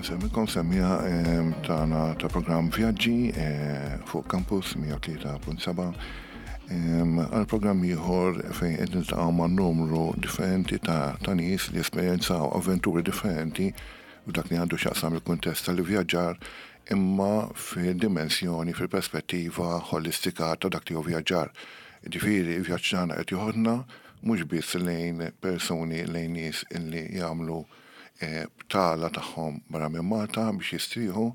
Nsemmilkom semmija tagħna ta' programm Vjaġġi eh, fuq Campus 103.7 għal programm ieħor fejn qed niltaqgħu ma' numru differenti ta' ta' nies li esperjenzaw avventuri differenti f'dak li għandu x'jaqsam il-kuntest tal-ivvjaġġar imma fid-dimensjoni, fil-perspettiva ħolistika ta' dak li hu vjaġġar. Ġifieri, il-vjaġġ tagħna qed joħodna mhux biss lejn persuni, lejn nies illi jagħmlu btala tagħhom barra minn Malta biex jistrieħu,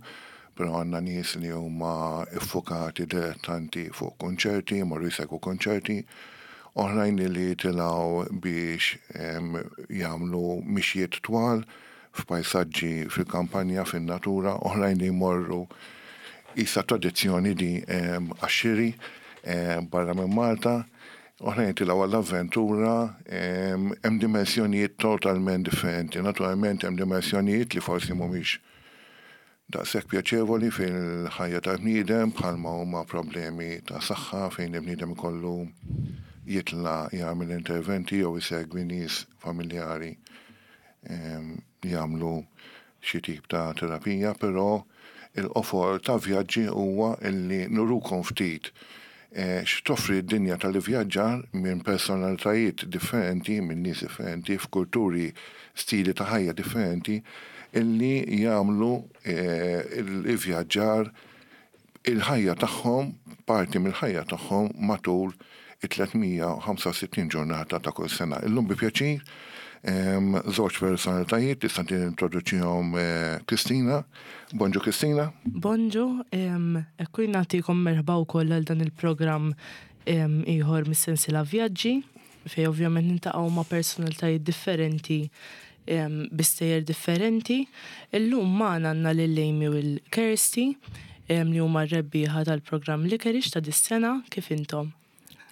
però għandna nies li huma ffukati dilettanti fuq kunċerti, jmorru jsegwu kunċerti, oħrajn li jitilgħu biex jagħmlu mixjiet twal f'pajsaġġi fil-kampanja, fin-natura, oħrajn li jmorru qisha tradizzjoni di għax-xiri barra minn Malta. Oħrajn jitilgħu għall-avventura, hemm dimensjonijiet totalment differenti. Naturalment hemm dimensjonijiet li forsi mhumiex daqshekk pjaċevoli fil-ħajja tal-bniedem bħalma huma problemi ta' saħħa fejn il-bniedem ikollu jitla' jagħmel interventi jew isegwi nies familjari jagħmlu xi tip ta' terapija, però il-qofol ta' vjaġġi huwa illi nurukom ftit eh, x'toffri d-dinja tal-ivvjaġġar minn personalitajiet differenti, minn nies differenti, f'kulturi, stili ta' ħajja differenti, illi jagħmlu eh, l-ivvjaġġar il-ħajja tagħhom, parti mill-ħajja tagħhom matul it-365 ġurnata ta' kull sena. Illum bi pjaċir, żewġ personalitajiet tista' tintroduċihom eh, Kristina. Bonġu Kristina. Bonġu, ekku nagħtikom merħba wkoll għal dan il-programm ieħor mis-sensiela Vjaġġi, fej ovvjament nintaqgħu ma' personalitajiet differenti bi stejjer differenti. Illum magħna għandna lil Amy u lil Kirsty li huma r-rebbieħa tal-programm Licorice ta' dis-sena. Kif intom?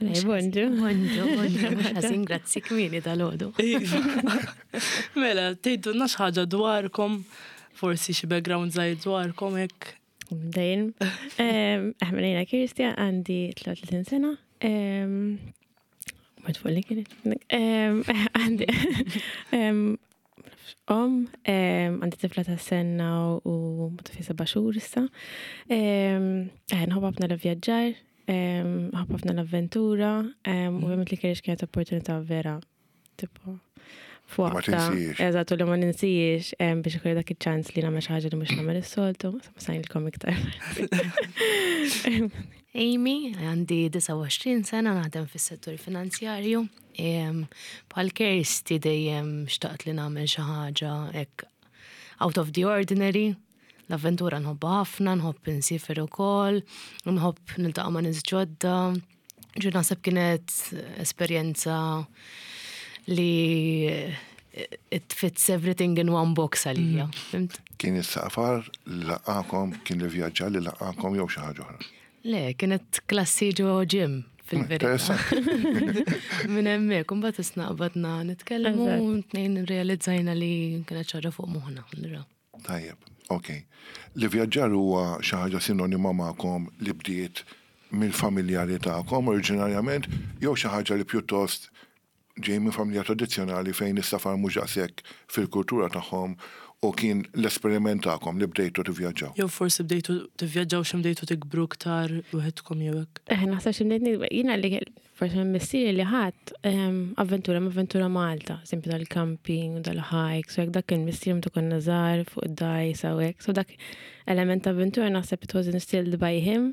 Bonġu. Bonġu, bonġu, mhux ħażin, grazzi kmieni dalgħodu. Iva. Mela, tgħidulna xi ħaġa dwarkom, forsi xi background żgħir dwarkom hekk. Dejjem. Aħna jiena Kirsty għandi 33 sena. Mort fuq li kienet. Għandi. Om, għandi tifla ta' sena u ta' fi seba' xhur issa. Nħobb ħafna l-vjaġġar, nħobb ħafna l-avventura, u ovvjament li kerix kienet opportunità vera tipo fuqta. Eżatt, u li ma ninsijiex biex ikolli dak iċ-ċans li nagħmel xi ħaġa li mhux nagħmel is-soltu, ma sajnilkom iktar. Amy, għandi 29 sena naħdem fis-settur finanzjarju. Bħal Kirsty dejjem xtaqt li nagħmel xi ħaġa hekk out of the ordinary. L-avventura nħobbha ħafna, nħobb insiefer ukoll, nħobb niltaqa' ma' nies ġodda. Ġu naħseb kienet esperjenza li it fits everything in one box għalija. Mm. Kien is-safar li laqakom, kien li vjaġġa li laqakom jew xi ħaġa oħra? Le, kienet klassi ġo ġim fil-verità. Minn hemmhekk, imbagħad isna qbadna nitkellmu, tnejn realizzajna li kienet ċara fuq moħħna. Tajjeb, ok. L-ivvjaġġar huwa xi ħaġa sinonima magħkom li bdiet mill-familjari tagħkom oriġinarjament jew xi ħaġa li pjuttost ġej minn familja tradizzjonali fejn is-safar mhux daqshekk fil-kultura tagħhom u kien l-esperiment tagħkom li bdejtu tivvjaġġaw? Jew forsi bdejtu tivvjaġġaw xi bdejtu tikbru iktar waħedkom jew hekk. Eh, naħseb xi bdejt nikber. Jiena li forsi minn missieri li ħadd ehm, avventura ma' avventura Malta, eżempju dal-camping, dal-hikes, u hekk dak kien missieri meta konna żgħar fuq id-dgħajsa u hekk. So dak element ta' avventura naħseb it was instilled by him.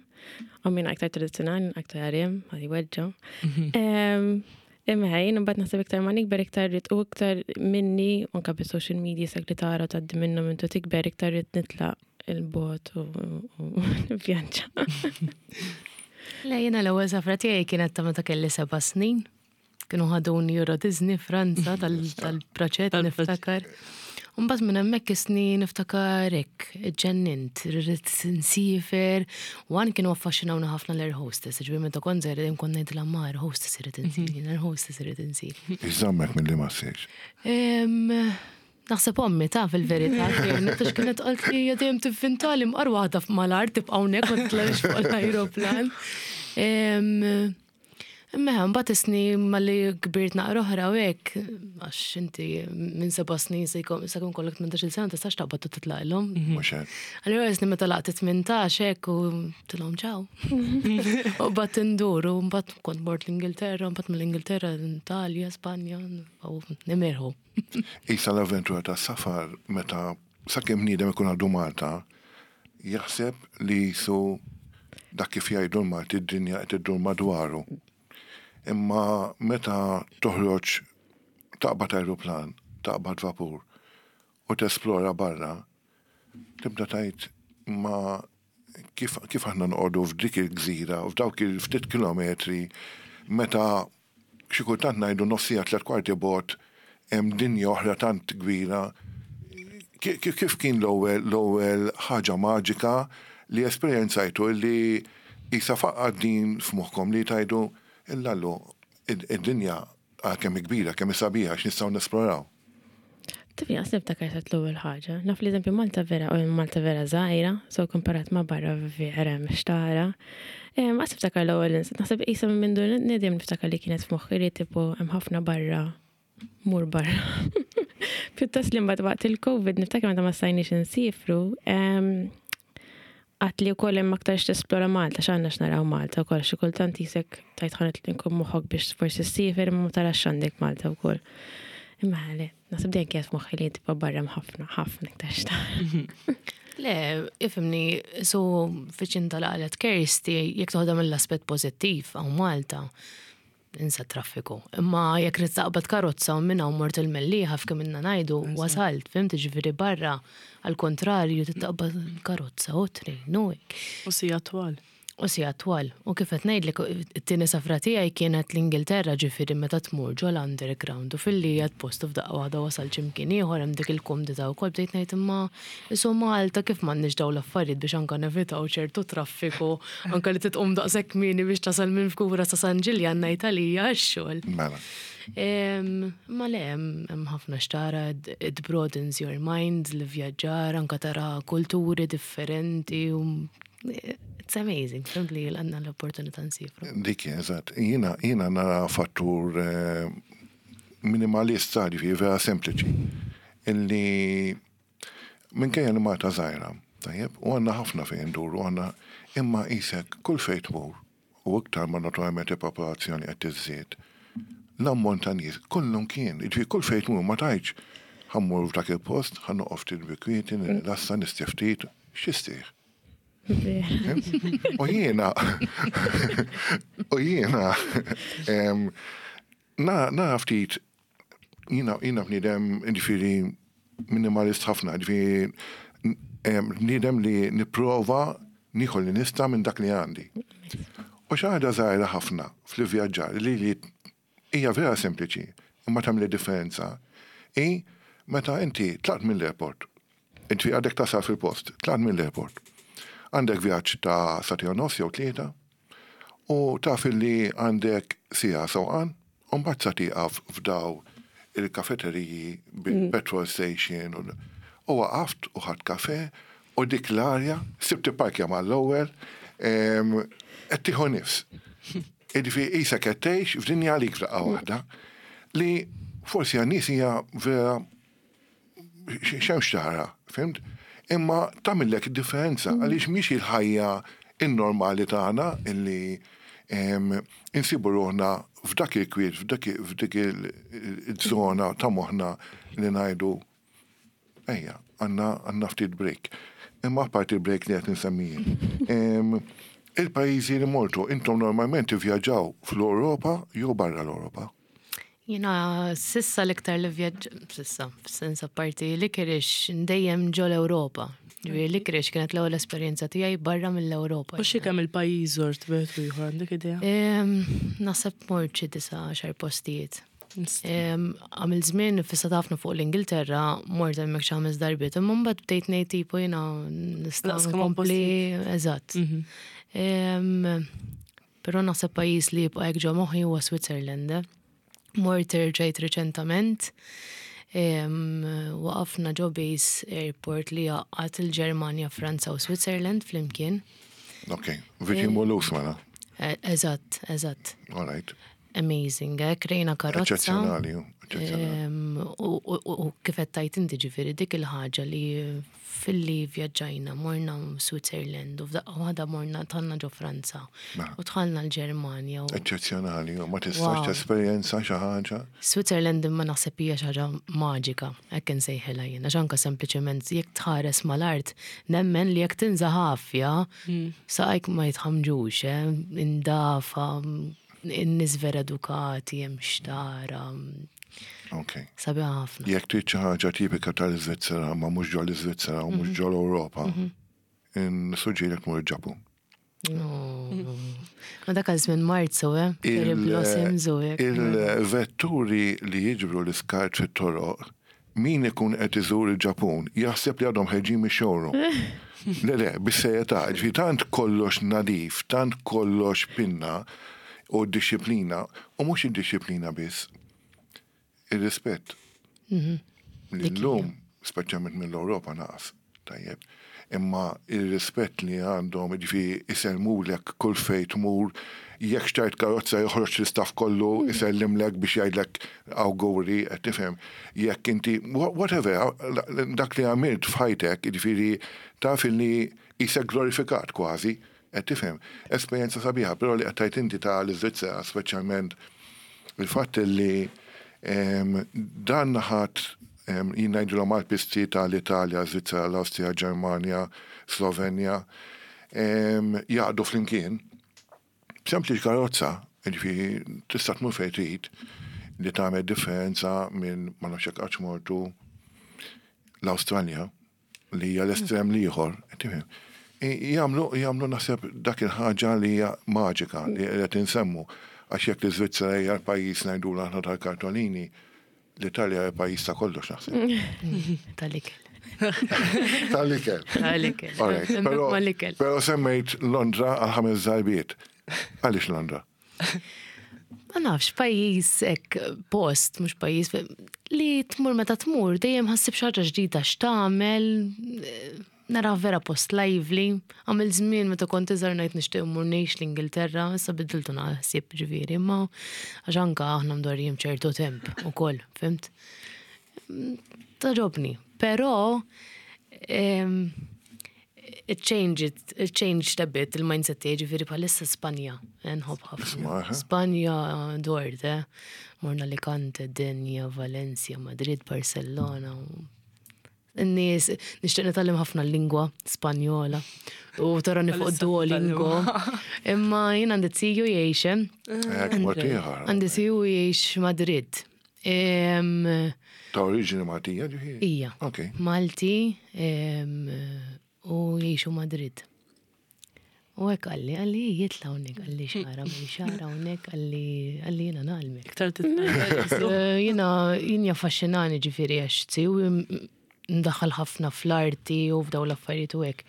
U min aktar tradizzjonali, aktar għarim, għadi weġġa. Mhm. Imma jien imbagħad naħseb iktar ma nikber iktar rrid u iktar minni anke bis-social media sak li tara tgħaddi minnhom intu tikber iktar rrid nitlaq il-bot u vjaġġa. Le jiena l-ewwel safra tiegħi kienet ta' meta kelli seba' snin. Kienu ħaduni Euro Disney Franza tal-proċett niftakar. Mbagħad minn hemmhekk isni niftakar hekk, ġennint, rrid nsifer. Wan kienu affaxxinawni ħafna l-air hostess, ġifieri meta kont żgħir dejjem kont ngħidilha ma air hostess irid insir, jien air hostess irid insir. Iżżammek milli ma ssirx. Naħseb ommi ta' fil-verità kienet għax kienet qalt li hija dejjem tivvintali mqar waħda mal-art tibqa' hawnhekk ma titlaqx fuq l-ajruplan. Imma mbagħad isni malli kbirt naqra oħra u hekk, għax inti minn seba' snin se jkun se jkun kollok 18-il sena tistax taqbad u titlaqilhom. Mhux hekk. Allura isni meta laqt 18 hekk u tilhom ċaw. U mbagħad indur u mbagħad kont mort l-Ingilterra, mbagħad mill-Ingilterra l-Italja, Spanja, u nimirħu. Isa l-avventura tas-safar meta sakemm bniedem ikun għadu Malta, jaħseb li jisu dak kif jgħidu l-Malti d-dinja qed iddur madwaru. Imma meta toħroġ taqbad ajruplan, taqbad vapur u tesplora barra, tibda tgħid ma kif, kif aħna noqogħdu f'dik il-gżira, f'dawk il-ftit kilometri, meta xi kultant ngħidu nofs siegħa 3/4 bogħod hemm dinja oħra tant kbira. Kif kien l-ewwel l-ewwel ħaġa maġika li esperjenzajtu li qisha faqqgħet din f'moħħkom li tgħidu illallu id-dinja kemm hi kbira, kemm hi sabiħa x'nistgħu nesploraw? Tifni qas niftakar eżatt l-ewwel ħaġa. Naf li eżempju Malta vera, u Malta vera żgħira, so komparat ma' barra vera hemm x'tara. Qas niftakar l-ewwel naħseb qisha minn mindu nedem niftakar li kienet f'moħħi li tipo hemm ħafna barra mur barra. Pjuttost li mbagħad waqt il-Covid niftakar meta ma stajniex insifru, Għad li wkoll hemm aktar x'tesplora Malta, x'għandna x'naraw Malta wkoll, xi kultant jisek tajt ħanet li nkun moħħok biex forsi ssiefer imma ma tarax x'għandek Malta wkoll. Imma le, naħseb dejjem kienet f'moħħi li tibqa' barra hemm ħafna, ħafna iktar x'tara. Le, ifhimni, su fiċin tal-qalet Kirsty, jekk toħodha mill-aspett pożittiv hawn Malta, insa traffiku. Imma jekk trid taqbad karozza u minn hawn mort il-Mellieħa f'kemm ilna ngħidu wasalt, fhimt jiġifieri barra għall-kuntrarju trid taqbad karozza u train u hekk. U sigħat twal. U sigħat twal. U kif qed ngħidlek it-tieni safra tiegħi kienet l-Ingilterra ġifieri meta tmur ġo l-underground u filli qiegħed post u f'daqqa waħda wasalt xi mkien ieħor hemm dik il-kumdità wkoll bdejt ngħid imma Isu Malta kif m'għandniex dawn l-affarijiet biex anka nevitaw ċertu traffiku, anka li titqum daqshekk kmieni biex tasal minn Fgura sa San Ġiljan ngħid għalija għax-xogħol. Mela. Ma le hemm ħafna x'tara, it broadens your mind, l-ivvjaġġar, anka tara kulturi differenti u it's amazing, fhimt li għandna l-opportunità nsifru. Dik hi, eżatt. Jiena jiena nara fattur minimalist, ġifieri vera sempliċi, illi Minkejja li Malta żgħira, tajjeb, u għandna ħafna fejn induru, għandna imma qisek kull fejn tmur, u iktar ma naturalment il-popolazzjoni qed tiżdied, l-ammont ta' nies kullum kien, jiġifieri kull fejn tmur ma tgħidx ħa mmur f'dak il-post, ħa noqgħod ftit bi kwieti, nirrilassa, nistrieħ ftit, x'tistrieħ? U jiena, u jiena, nara ftit Jiena jiena bniedem jiġifieri minimalist ħafna, jiġifieri bniedem li nipprova nieħu li nista' minn dak li għandi. U xi ħaġa żgħira ħafna fl-ivvjaġġar li li hija vera sempliċi imma tagħmel differenza hi meta inti tlaqt mill-airport, inti għadek tasal fil-post, tlaqt mill-airport. Għandek vjaġġ ta' sagħtejn u nofs jew tlieta, U taf illi għandek siegħa sewqan u mbagħad sa tieqaf f'daw il-kafeteriji bil-petrol station u u waqaft u ħadt kafè u dik l-arja, sibt ipparkja mal-ewwel, qed tieħu nifs. Jiġifieri qisek qed tgħix f'dinja għalik f'daqqa waħda li forsi għan-nies hija vera x'hemm x'tara, fhimt? Imma tagħmillek id-differenza għaliex mhix il-ħajja in-normali tagħna illi insibu ruħna f'dak il-kwiet, f'dik il-żona ta' moħħna li ngħidu ejja, għandna ftit break. Imma apparti il-break li qed insemmi jien. Il-pajjiżi li mortu, intom normalment tivvjaġġaw fl-Ewropa jew barra l-Ewropa? Jiena sissa l-iktar li vjaġġ, sissa, f'sens apparti Licorice, dejjem ġo l-Ewropa. Ġifieri Licorice kienet l-ewwel esperjenza tiegħi barra mill-Ewropa. U xi kemm il-pajjiż żort bejn u ieħor għandek idea? Naħseb mort xi disa' għaxar postijiet. Għamil żmien fissat ħafna fuq l-Ingilterra, mort hemmhekk xi ħames darbiet, imma mbagħad bdejt ngħid tipo jiena nista' nkompli eżatt. Però naħseb pajjiż li jibqa' hekk ġo moħħi huwa Switzerland. Eh. Mort erġajt riċentament, waqafna ġo base airport li jgħaqqad il-Ġermanja, Franza u Switzerland flimkien. Ok, viċin Mulhouse mela. Eh, eżatt, eżatt. All right. Amazing, eh? Krejna karozza. Eċċezzjonali, eċċezzjonali. U kif qed tajt inti ġifieri dik il-ħaġa li filli vjaġġajna morna Switzerland u f'daqqa waħda morna tħalna ġo Franza Mela. u tħalna l-Ġermanja. Eċċezzjonali, u ma tistax tesperjenza xi ħaġa. Switzerland imma naħseb hija xi ħaġa maġika, hekk insejħilha jien, għax anke sempliċement jekk tħares mal-art nemmen li jekk tinża' ħafja saqajk ma jitħamġux, eh, indafa, in-nies vera edukati, hemm xtara. Ok. Sabiħa ħafna. Jekk trid xi ħaġa tipika tal-Iżvizzera ma mhux ġol Iżvizzera u mhux ġol Ewropa, nissuġġerilek tmur il-Ġapun. Ma dak għal żmien Marzu, eh? Cherry blossoms u hekk. Il-vetturi li jiġbru l-iskart fit-toroq, min ikun qed iżur il-Ġapun jaħseb li għadhom ħerġin mix-showroom. Le, le, bis-serjetà, ġifieri tant kollox nadif, tant kollox pinna u d-dixxiplina, u mhux id-dixxiplina biss, ir-rispett. Li llum, speċjalment mill-Ewropa naqas, tajjeb. Imma ir-rispett li għandhom, ġifieri isellmulek kull fejn tmur, jekk xtrajt karozza joħroġ l-istaff kollu isellimlek biex jgħidlek awguri, qed tifhem. Jekk inti, whatever, dak li għamilt f'ħajtek, ġifieri taf li qisek glorifikat kważi, qed tifhem. Esperjenza sabiħa, però li qed tgħid inti ta' l-Iżvizzera, speċjalment il-fatt li dan naħat jien ngħidilhom għall-pisti tal-Italja, Svizzera, l-Awstrija, Ġermanja, Slovenja, jaqdu flimkien. Sempliċi karozza, ġifieri tista' tmur fejn trid li tagħmel differenza minn ma nafx hekk qattx mortu l-Awstralja li hija l-estrem l-ieħor, tifhem. Jagħmlu jagħmlu naħseb dak il-ħaġa li hija maġika li qed insemmu għax jekk l-Iżvizzera hija l-pajjiż ngħidulu aħna tal-kartolini, l-Italja hija pajjiż ta' kollox naħseb. Tal-ikel. Tal-ikel. Tal-ikel. All right, Hemmhekk Però mal-ikel. però semmejt Londra għal ħames darbiet. Għaliex Londra? Ma nafx, pajjiż hekk post, mhux pajjiż li tmur meta tmur dejjem ħassib xi ħaġa ġdida x'tagħmel, nara vera post lively. Għamil żmien meta kont iżgħar ngħid nixtieq immur ngħix l-Ingilterra, issa bidiltu naħsib ġifieri, imma għax anke aħna mdorrijin b'ċertu temp ukoll, fimt? Togħġobni, però it changed it, it changed a bit il-mindset tiegħi ġifieri bħalissa Spanja, nħobb ħafna. Isma' eh? Spanja dort, eh? Morna Alicante, Denia, Valencia, Madrid, Barcellona. In-nies, nixtieq nitgħallem ħafna l-lingwa Spanjola u tarani fuq Bħalissa Duolingo. Imma jien għandi ziju jgħix, eh? Hekk mod ieħor. Għandi ziju jgħix Madrid. Ta' oriġini Maltija ġifieri? Ija. Ok. Malti u jgħixu Madrid. U hekk qalli, qalli jitla' hawnhekk, qalli xara, mi xara hawnhekk, qalli qalli jiena ngħallmek. Iktar titgħallem. Jiena jien jaffaxxinani ġifieri għax ziju ndaħal ħafna fl-arti u f'daw l-affarijiet u hekk.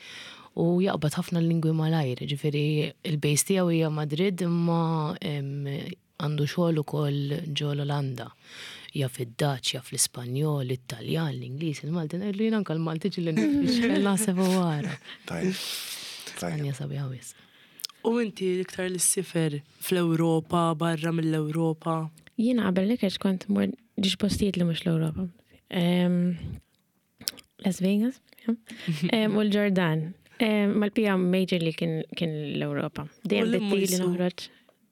U jaqbad ħafna l-lingwi malajr, ġifieri il-base tiegħu hija Madrid imma għandu xogħol ukoll ġo l-Olanda. Jaf id-Dutch, jaf l-Ispanjol, l-Italjan, l-Ingliż, il-Malti, ngħidlu jien anke l-Malti ġieli nifhimx, naħseb u wara. Tajjeb. Tajjeb. Spanja sabiħa wisq. U inti l-iktar li ssifer fl-Ewropa, barra mill-Ewropa? Jiena qabel li kont mor ġiex postijiet li mhux l-Ewropa. Las Vegas, ja. U l-Ġordan. Mal-pija majorly kien kien l-Ewropa. Dejjem U li bitti li mujsu? noħroġ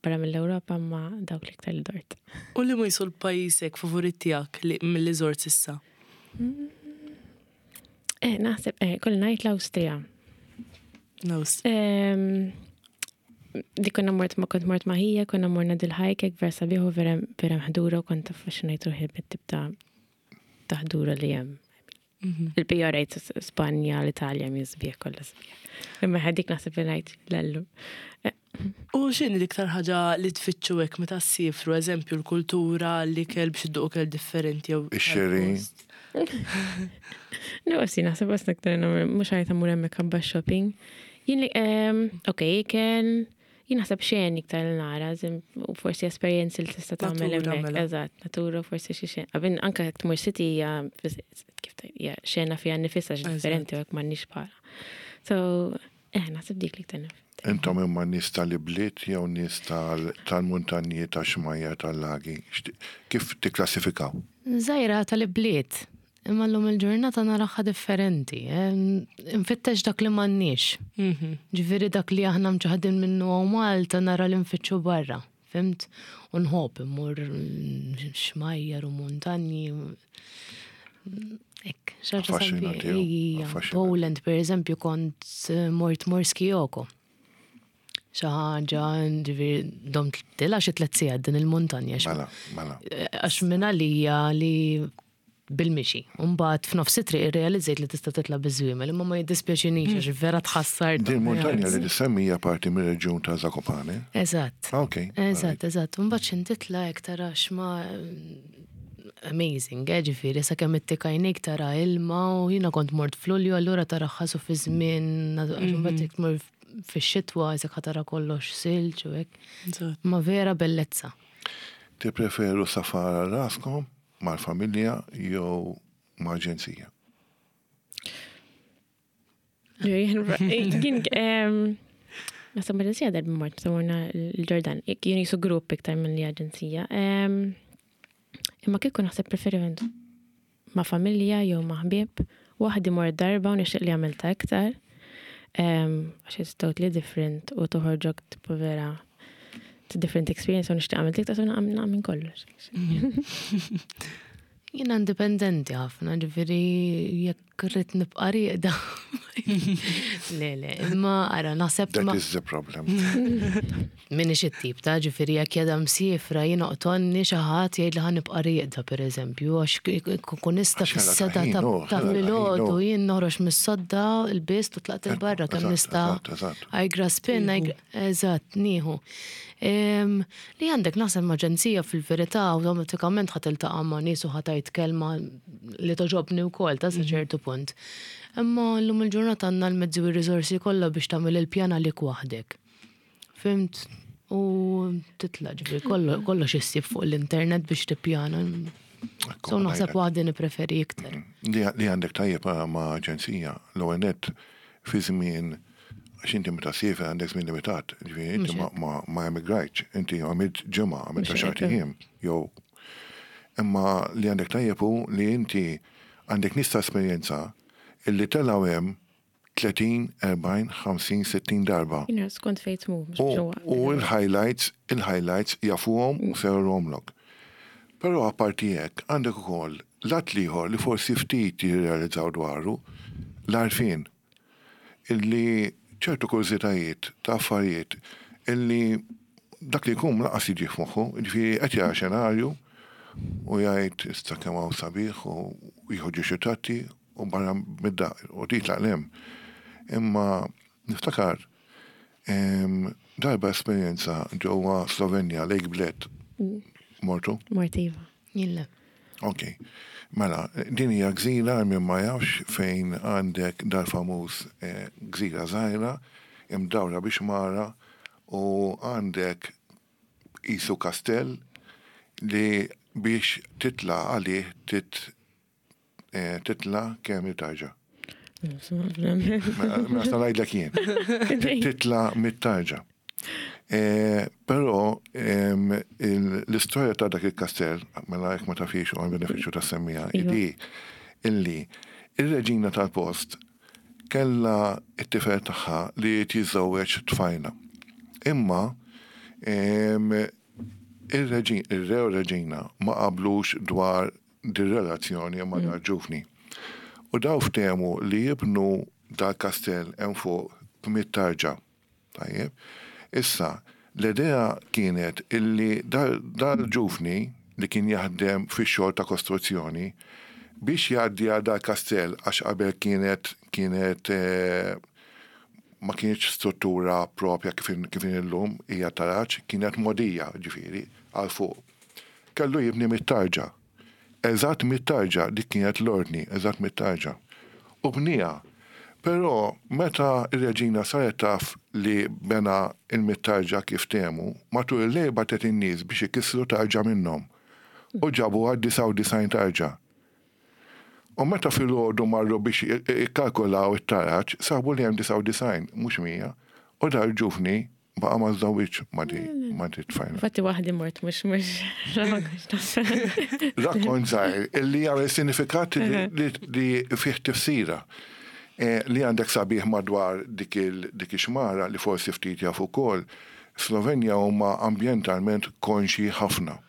barra mill-Ewropa ma dawk l-iktar li dort. U li ma jisu l-pajjiżek favorit tiegħek li mill-li żort s'issa? Eh, naħseb, kull ngħid l-Awstrija. L-Awstrija. Di konna mort ma kont mort maħija, konna morna dil-hike, vera sabiħ u vera vera mħdura u kont affaxxinajt ruħi bit-tip ta' ta' ħdura li hemm. Il-bija rajt Spanja, l-Italja, mi sbieħ kollha sbieħ. Imma ħadik naħseb li ngħid l-allu. U x'inhi l-iktar ħaġa li tfittxu hekk meta ssifru, eżempju l-kultura, l-ikel biex idduqu ikel differenti jew Ix-xiri. tal-post? No, si naħseb għas naktar mhux ħajt mur hemmhekk ħabba shopping. Jien li, ok, ikel, jien naħseb xejn iktar li nara, u forsi esperjenzi li tista' tagħmel Natura, hemmhekk. mela. Eżatt, natura forsi xi xejn. Qabel anke jekk tmur city hija kif tgħid, hija xena fiha nifisha Eżatt. differenti u hekk m'għandniex bħala. So, Eh, naħseb dik li iktar naf. Intom imma nies tal-ibliet jew nies tal-muntanji, tax-xmajjar, tal-lagi? Kif tikklassifikaw? Żgħira tal-ibliet, imma llum il-ġurnata naraha differenti. Eh? Nfittex dak li m'għandniex. Ġifieri dak li aħna mċaħdin minnu hawn Malta nara li nfittxu barra. Fhimt? U nħobb immur xmajjar u muntanji. Hekk, xi ħaġa Affaxxinanti, sabiħa. Ija, affaxxinanti. Poland, per eżempju, kont mort Morski Oko. Xi ħaġa, ġifieri, domt tilgħa xi 3 sigħat din il-muntanja. Mela, mela. Għax minn għalija li bil-mixi. Umbagħad f'nofs it-triq irrealizzajt li tista' titla' biż-żwiemel, imma ma jiddispjaċinix għax vera tħassar. Din muntanja li tissemmi hija parti mir-reġjun ta' Zakopane. Eżatt. Ah, ok. Eżatt, eżatt. Umbagħad x'in titla' hekk tara x'ma amazing, ġifieri, sakemm ittik għajnejk tara ilma u jiena kont mort f'Lulju, allura tara ħasu fi żmien, għax imbagħad jekk tmur fix-xitwa isek ħa tara kollox silġ u hekk. Ma vera bellezza. Tippreferu safar għal raskom mal-familja jew ma' aġenzija? Jien, naħseb aġenzija darba mort, meta morna l-Ġordan, jien jisu grupp iktar minn li aġenzija. Imma kieku naħseb preferiment ma' familja jew ma' ħbieb, waħdi mort darba u nixtieq li għamilta iktar. Għax it's totally different u toħorġok tipo vera it's a different experience u nixtieq għamilt iktar, so naqam minn kollox. Jiena indipendenti ħafna, ġifieri jekk rrid nibqa' rieqda. Le, le, imma ara naħseb That ma is the problem. Minix it-tip ta' ġifieri jekk jeda msifra jiena oqtonni xi ħadd jgħid li ħa nibqa' rieqda pereżempju, għax kun nista' Għax ħela fis-seta ta' ħin, oh, ta' ħela ta' ħin, filgħodu oh. jien noħroġ mis-sodda l-bist u tlaqt il-barra kemm nista' Eżatt, eżatt. I grasp in, I eżatt, nieħu. Li għandek naħseb ma' aġenzija fil-verità awtomatikament ħa tiltaqa' ma' nies u ħa tgħid kelma li toġobni wkoll ta' sa ċertu punt. Imma llum il-ġurnata għandna l-mezzi u r-riżorsi kollha biex tagħmel il-pjan għalik waħdek. Fhimt? U titla' ġifieri kollox issib fuq l-internet biex tippjana. So naħseb waħdi nippreferi iktar. Li għandek tajjeb ma' aġenzija, l-ewwel nett fi żmien għax inti meta siefer għandek żmien limitat, ġifieri inti ma emigrajtx, inti għamilt ġimgħa, għamilt għaxart ijiem, jew imma li għandek tajjeb hu li inti għandek nies ta' esperjenza illi telgħu hemm 30, 40, 50, 60 darba. Jiena skont fejn tmur, mhux U biex huwa. il-highlights, il-highlights jafuhom u se jurhomlok. Però apparti hekk għandek ukoll lat l-ieħor li forsi ftit jirrealizzaw dwaru, l-għarfien illi ċertu kurżitajiet ta' affarijiet illi dak li jkun lanqas jiġi f'moħħu, ġifieri qed jara xenarju u jgħid issa kemm hawn sabiħ u jieħu ġie xi tratti u barra mid-dar u titlaq 'l hemm. Imma niftakar darba esperjenza ġewwa Slovenja, Lake Bled. Mortu? Mort iva. Jien le. Ok. Mela, din hija gżira min ma jafx fejn għandek dal-famuż gżira żgħira imdawra biex mara u għandek qisu kastell li biex titla' għalih titla' kemm il-tarġa. Mela sa ngħidlek jien. Titla' mit-tarġa. Però l-istorja ta' dak il-kastell, mela jekk ma tafix u għal-benefiċċju ta' semmija, Iva. idi illi ir-reġina tal-post kella it-tifel tagħha li jiżżewweġ tfajla. Imma ir-re u reġina ma qablux dwar dir-relazzjoni ma' dal-ġuvni. U daw ftehmu li jibnu dal-kastell hemm fuq b'mitt tarġa. Tajjeb. Issa, l-idea kienet illi dal-ġuvni li kien jaħdem fix-xogħol ta' kostruzzjoni biex jgħaddi għal dal-kastell għax qabel kienet ma kienx struttura propja kif illum hija taraġ, kienet modija ġifieri għal fuq. Kellu jibni mit-tarġa. Eżatt mit-tarġa, dik kienet l-ordni, eżatt mit-tarġa. U bniha. Però meta ir-reġina saret taf li bena il-mit-tarġa kif ftehmu, matul il-lejl bagħtet in-nies biex ikissru tarġa minnhom. U ġabu għad 99 tarġa. U meta filgħodu marru biex ikkalkulaw it-taraġ, sabu li hemm 99, mhux 100. U dal-ġuvni baqa' ma żżewwiġx ma' di ma' di tfajla. Infatti waħdi mort mhux mhux Rakkont żgħir illi jagħmel sinifikat li fih tifsira. Li għandek sabiħ madwar dik ix-xmara li forsi ftit jafu wkoll, Slovenja huma ambjentalment konxji ħafna.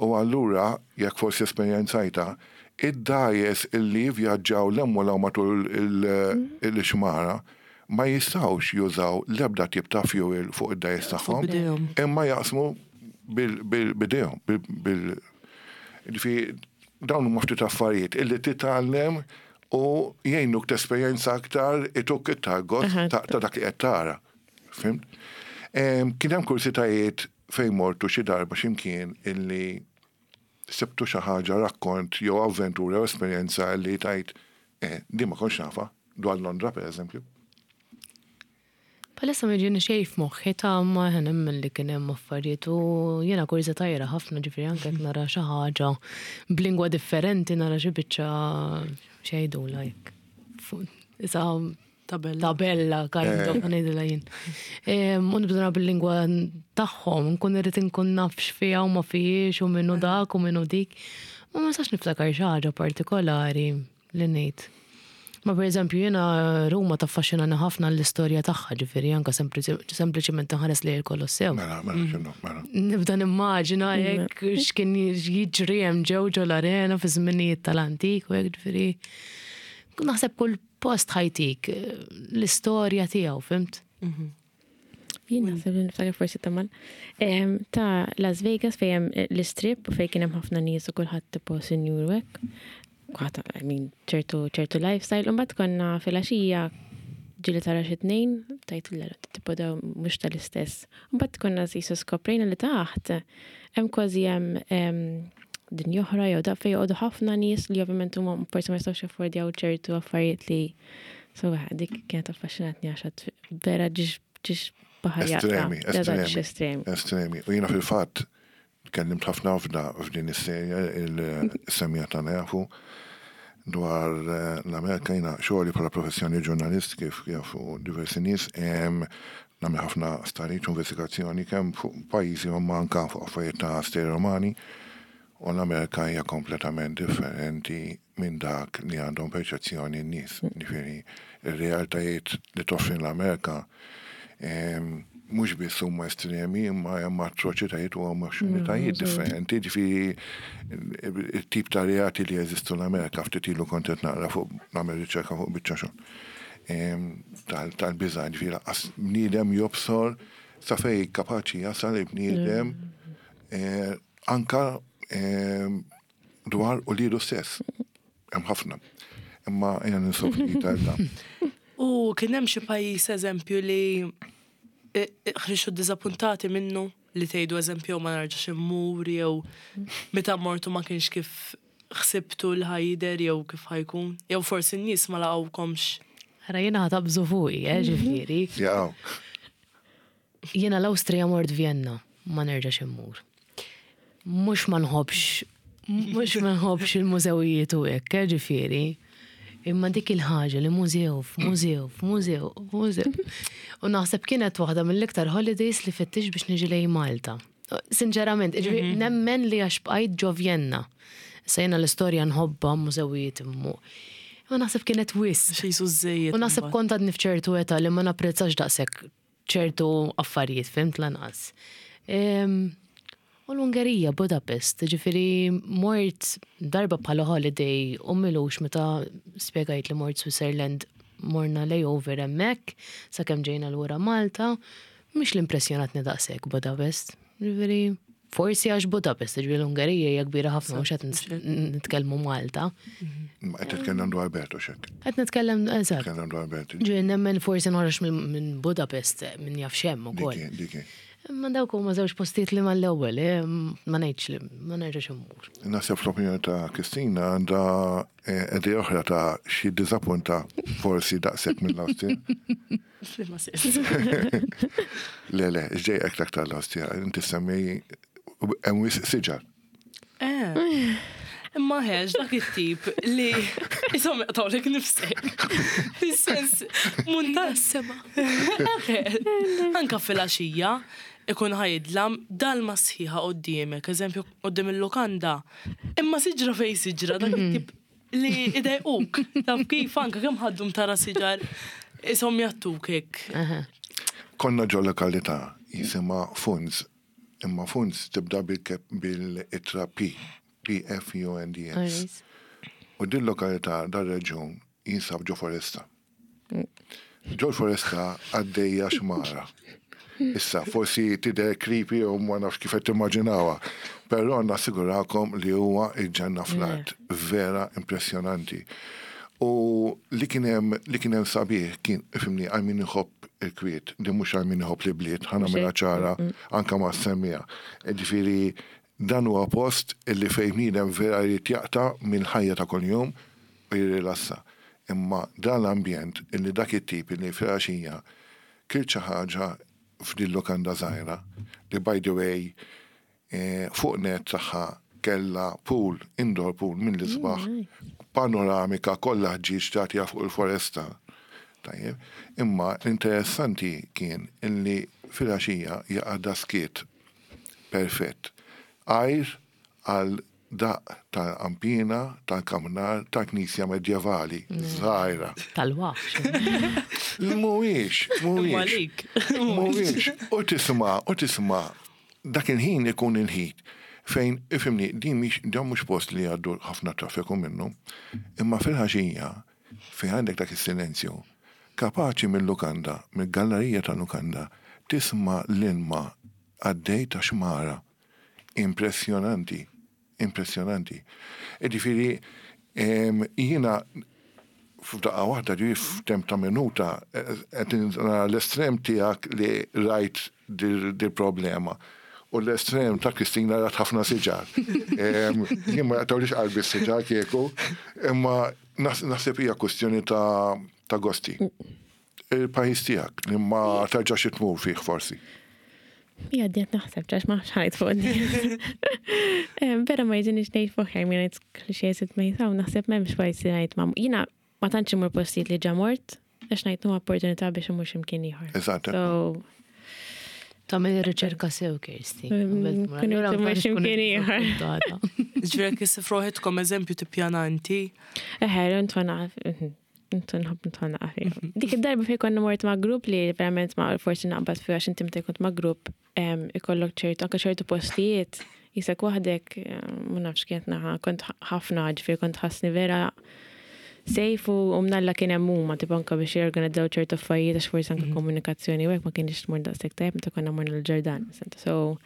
U allura, jekk forsi esperjenzajtha, id-dgħajjes illi jivvjaġġaw 'l hemm u 'l hawn matul il-xmara ma jistgħux jużaw l-ebda tip ta' fuel fuq id-dgħajjes tagħhom, imma jaqsmu b'idejhom, bil Ġifieri dawn huma ftit affarijiet illi titgħallem u jgħinuk tesperjenza aktar, ituk iktar gost ta' dak li qed tara. Fhimt? Kien hemm kursitajiet fejn mortu xi darba xi mkien illi sibtu xi ħaġa, rakkont jew avventura jew esperjenza illi tgħid eh, din ma kontx nafha, dwar Londra pereżempju? Bħalissa ma jiġini xejn f'moħħi ta' ma nemmen li kien hemm affarijiet u jiena kurża tajra ħafna ġifieri anke jekk nara xi ħaġa b'lingwa differenti nara xi biċċa x'jgħidulha hekk. Isa Tabella. Tabella, kind of, ngħidilha jien. U nibda nara bil-lingwa tagħhom, nkun irrid inkun naf x'fiha u ma fihiex u min hu dak u min hu dik. Ma ma nistax niftakar xi ħaġa partikolari li ngħid. Ma pereżempju jiena Ruma taffaxxinani ħafna l-istorja tagħha, ġifieri anke sempliċement inħares lejn il-Kolossew. Mela, mela, x'inhu, mela. Nibda nimmaġina hekk x'kien jiġri hemm ġew ġo l-arena fi żminijiet tal-antik u hekk ġifieri. Naħseb kull post ħa jtik l-istorja tiegħu, fimt? Mhm. Jien naħseb li niftakar forsi tamal. Ta' Las Vegas fejn hemm eh, l-istrip u fejn kien hemm ħafna nies u kulħadd tipo sinjur u hekk. Kulħadd I mean ċertu ċertu lifestyle. U mbagħad konna filgħaxija ġieli tara xi tnejn, tajt l tipo daw mhux tal-istess. Mbagħad konna qisu skoprejna li taħt hemm kważi hemm dinja oħra jew da fejn joqogħdu ħafna nies li ovvjament huma forsi ma jistgħux jaffordjaw ċertu affarijiet li so dik kienet affaxxinatni għax vera ġiex ġiex baħar Estremi, estremi. Estremi. Estremi. U jiena fil-fatt tkellimt ħafna f'da f'din is-serja il-semija tagħna jafu dwar eh, l-Amerika jiena xogħli bħala professjoni ġurnalist kif jafu diversi nies nagħmel ħafna stariċ u investigazzjoni kemm fuq pajjiżi u anka fuq affarijiet ta' stejjer romani u l-Amerika hija kompletament differenti minn dak li għandhom perċezzjoni n-nies. Ġifieri, ir-realtajiet li toffri l-Amerika mhux biss huma estremi imma hemm atroċitajiet u hemm oscenitajiet differenti. Ġifieri it-tip ta' reati li jeżistu l-Amerika ftit ilu kont qed naqra fuq nagħmel riċerka fuq biċċa xogħol. Tal-biża' ġifieri lanqas bniedem jobsor sa fejn kapaċi jasal il-bniedem eh, anka dwar uliedu stess. Hemm ħafna. Imma ejja ninsow ftit għal dan. U kien hemm xi pajjiż eżempju li ħriġtu ddiżappuntati minnu li tgħidu eżempju ma narġax immur jew meta mortu ma kienx kif ħsibtu li ħa jidher jew kif ħa jkun? Jew forsi n-nies ma laqgħukomx? Ara jiena ħa taqbżu fuqi, eh, ġifieri. Jaqgħu. Jiena l-Awstrija mort Vienna, ma nerġax immur. Mhux ma nħobbx, mhux ma nħobbx il-mużewijiet u hekk, eh, ġifieri. Imma dik il-ħaġa li mużew f'mużew f'mużew f'mużew. U naħseb kienet waħda mill-iktar holidays li fittix biex niġi lejn Malta. Sinċerament, ġifieri mhm. nemmen li għax bqajt ġo Vienna. Issa jiena l-istorja nħobbha mużewijiet immu. Ma naħseb kienet wisq. Xi żejjed. U naħseb kont għadni f'ċertu età li ma napprezzax daqshekk ċertu affarijiet, fimt lanqas. U l-Ungerija, Budapest, ġifiri mort darba bħala holiday u milux meta spjegajt li mort Switzerland morna layover hemmhekk sakemm ġejna lura Malta, mhix li impressjonatni daqshekk Budapest. Ġifieri forsi għax Budapest, ġifieri l-Ungerija hija kbira ħafna mhux qed nitkellmu Malta. Ma qed titkellem dwar Belt u xek. Qed nitkellem eżatt. Nitkellem dwar Belt. Ġifieri nemmen forsi noħroġ minn Budapest min jaf x'hemm ukoll. Dik Imma dawk huma żewġ postijiet li mal-ewwel, eh, ma ngħidx li ma nerġax immur. Naħseb fl-opinjoni ta' Kristina għandha eh, idea oħra ta' xi diżappunta forsi daqshekk mill-Awstrija. F'liema sens? Le, le, x'dejqek l-aktar l-Awstrija? Inti semmi hemm wisq siġar. Eh. Imma ħeġ dak it-tip li jisom jaqtawlek nifsek. Fis-sens, munta sema. Anka fil-għaxija ikun ħajdlam dalma sħiħa qoddiemek, eżempju qoddim il-lukanda. Imma siġra fej siġra dak it-tip li idejquk. Taf kif anka kemm ħaddum tara siġar isom jattuk hekk. Konna ġo lokalità jisimha Funz, imma Funz tibda bil-ittra P, P-F-U-N-D-S. U din lokalità dar-reġjun jinsab ġo foresta. Ġo foresta għaddejja xmara. Issa, forsi tidher creepy u ma nafx kif qed timmaġinawha, però nassigurakom li huwa il-ġenna fl-art, vera impressjonanti. U li kien hemm li kien hemm sabiħ kien ifhimni għal min iħobb il-kwiet, li mhux għal min iħobb l-ibliet, ħa nagħmilha ċara anke ma' semmija. Ġifieri dan huwa post illi fejn bniedem vera jrid jaqta' mill-ħajja ta' kuljum u jirrilassa. Imma dan l-ambjent illi dak it-tip illi filgħaxija kilt xi ħaġa f'din lukanda żgħira li by the way fuq nett tagħha kellha pool, indoor pool mill-isbaħ, panoramika kollha ħġieġ tagħtiha fuq il-foresta. Tajjeb. Imma l-interessanti kien illi filgħaxija jaqa' daskiet perfett. Għajr għal daqq tal-qanpiena tal-kamnar tal-knisja medjevali żgħira. Tal-waħx. Mhuwiex, mhuwiex. Mhuwiex. U tisma' u tisma' dak il-ħin ikun il-ħin fejn ifhimni din mhix dan mhux post li jgħaddu ħafna traffiku minnu, imma fil-ħaxija fejn għandek dak is-silenzju, kapaċi mil-lukanda, mill-gallerija tal-lukanda, tisma' l-ilma għaddej ta' xmara. Impressjonanti, impressjonanti. Ġifieri, jiena f'daqqa waħda ġifieri f'temp ta' minuta qed nara l-estrem tiegħek li rajt dil-problema u l-estrem ta' Kristina rat ħafna siġar. Jien ma jaqtawlix qalbi s-siġar kieku, imma naħseb hija kwestjoni ta' gosti. Il-pajjiż tiegħek li ma terġax tmur fih forsi. Ija d naħseb, ġax ma xħajt fuq Vera ma jġinix nejt fuq ħajm, jena clichés it ma jisaw, naħseb memx pajjiż li ngħid ma. Jina ma tantx imur postijiet li ġa mort, għax ngħid nu opportunità biex imur x'imkien ieħor. Eżatt. So, Tagħmel ir-riċerka sew, Kirsti. Kun imur x'imkien ieħor. Ġifieri kif roħitkom eżempju tippjana inti. Eħe, ntwana Intu nħobb ntwana għafi. Dik id-darba fej konna mort ma' grupp li verament ma' forsi naqbad fi għax inti meta kont ma' grupp ikollok ċertu, anke ċertu postijiet, jisek waħdek, ma nafx kienet naħa, kont ħafna ġifieri kont ħassni vera safe u mnalla kien hemm huma tipo anke biex jorganizzaw ċertu affarijiet għax forsi anke komunikazzjoni u hekk ma kienx tmur daqshekk tajjeb meta konna morna l-Ġordan. So,